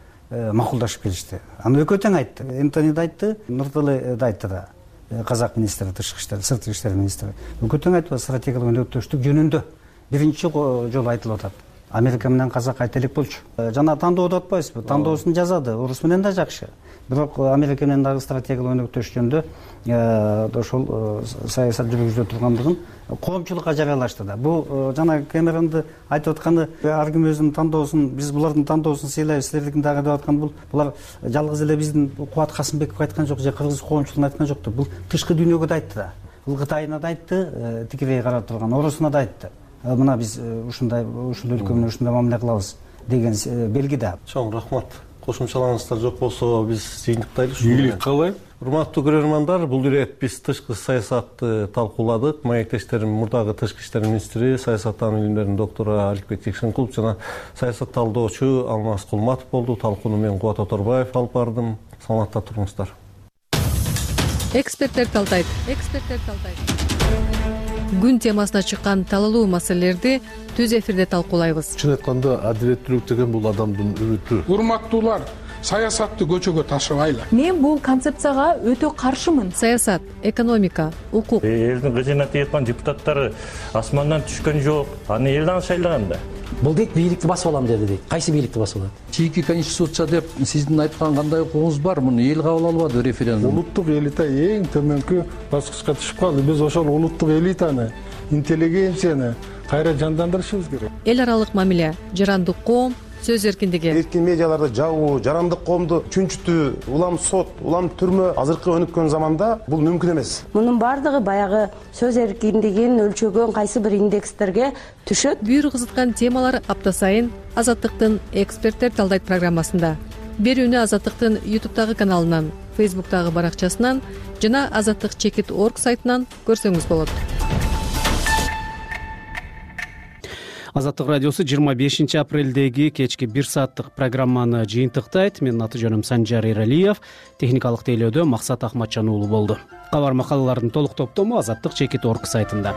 макулдашып келишти. Аны экөө тең айтты. Энтони да айтты, Нурталы да айтты да. Казак министри, тышкы иштер, сырткы иштер министри. Экөө тең айтты, стратегиялык өнөктөштүк жөнүндө биринчи жолу айтылып атат. Америка менен Казак айта элек болчу. Жана тандоо деп атпайсызбы? Тандоосун жазады. Орус менен да жакшы. Бирок Америка менен дагы стратегиялык өнөктөш жөнүндө ошол саясат жүргүзүлө тургандыгын коомчулукка жарыялашты да. Бул жана Кэмеронду айтып атканы, ар ким өзүнүн тандоосун, биз булардын тандоосун сыйлайбыз, силердикин дагы деп аткан булар жалгыз эле биздин Кубат Касымбеков айткан жок, же кыргыз коомчулугун айткан жок да. Бул тышкы дүйнөгө да айтты да. Бул Кытайына да айтты, тикирей карап турган, Орусуна да айтты. Мына биз ушундай ушул өлкө менен ушундай мамиле кылабыз деген белги да. Чоң рахмат. Кошумчаларыңыздар жок болсо биз жыйынтыктайлы. Ийгилик каалайм. Урматтуу көрөрмандар, бул ирет биз тышкы саясатты талкууладык. Маектештерим мурдагы тышкы иштер министри, саясаттануу илимдеринин доктору Аликбек Жекшенкулов жана саясат талдоочу Алмаз Кулматов болду. Талкууну мен Кубат Оторбаев алып бардым. Саламатта туруңуздар. Эксперттер талдайт. Күн темасына чыккан талалуу маселелерди түз эфирде талкуулайбыз. Чын айтканда, адилеттүүлүк деген бул адамдын үмүтү. Урматтуулар, саясатты көчөгө ташыбайлы. Мен бул концепцияга өтө каршымын. Саясат, экономика, укук. Элдин кыжына тийаткан депутаттары асмандан түшкөн жок. Аны эл шайлаган да. бул дейт бийликти басып алам деди дейт. Кайсы бийликти басып алат? Чийки конституция деп сиздин айткан кандай укугуңуз бар? Муну эл кабыл албады референдум. Улуттук элита эң төмөнкү баскычка түшүп калды. Биз ошол улуттук элитаны, интеллигенцияны кайра жандандырышыбыз керек. Эл аралык мамиле, жарандык коом, сөз эркиндиги. Эркин медиаларды жабуу, жарандык коомду чүнчүтүү, улам сот, улам түрмө азыркы өнүккөн заманда бул мүмкүн эмес. Мунун баардыгы баягы сөз эркиндигин өлчөгөн кайсы бир индекстерге түшөт. Бүйүр кызыткан темалар апта сайын Азаттыктын эксперттер талдайт программасында. Берүүнү Азаттыктын YouTube'дагы каналынан, Facebook'тагы баракчасынан жана azаттык.org сайтынан көрсөңүз болот. Азаттык радиосу 25 апрелдеги кечки 1 сааттык программаны жыйынтыктайт. Менин аты жөнүм Санжар Эралиев, техникалык тейлөөдө Максат Ахматжан уулу болду. Кабар макалалардын толук топтому azаттык.org сайтында.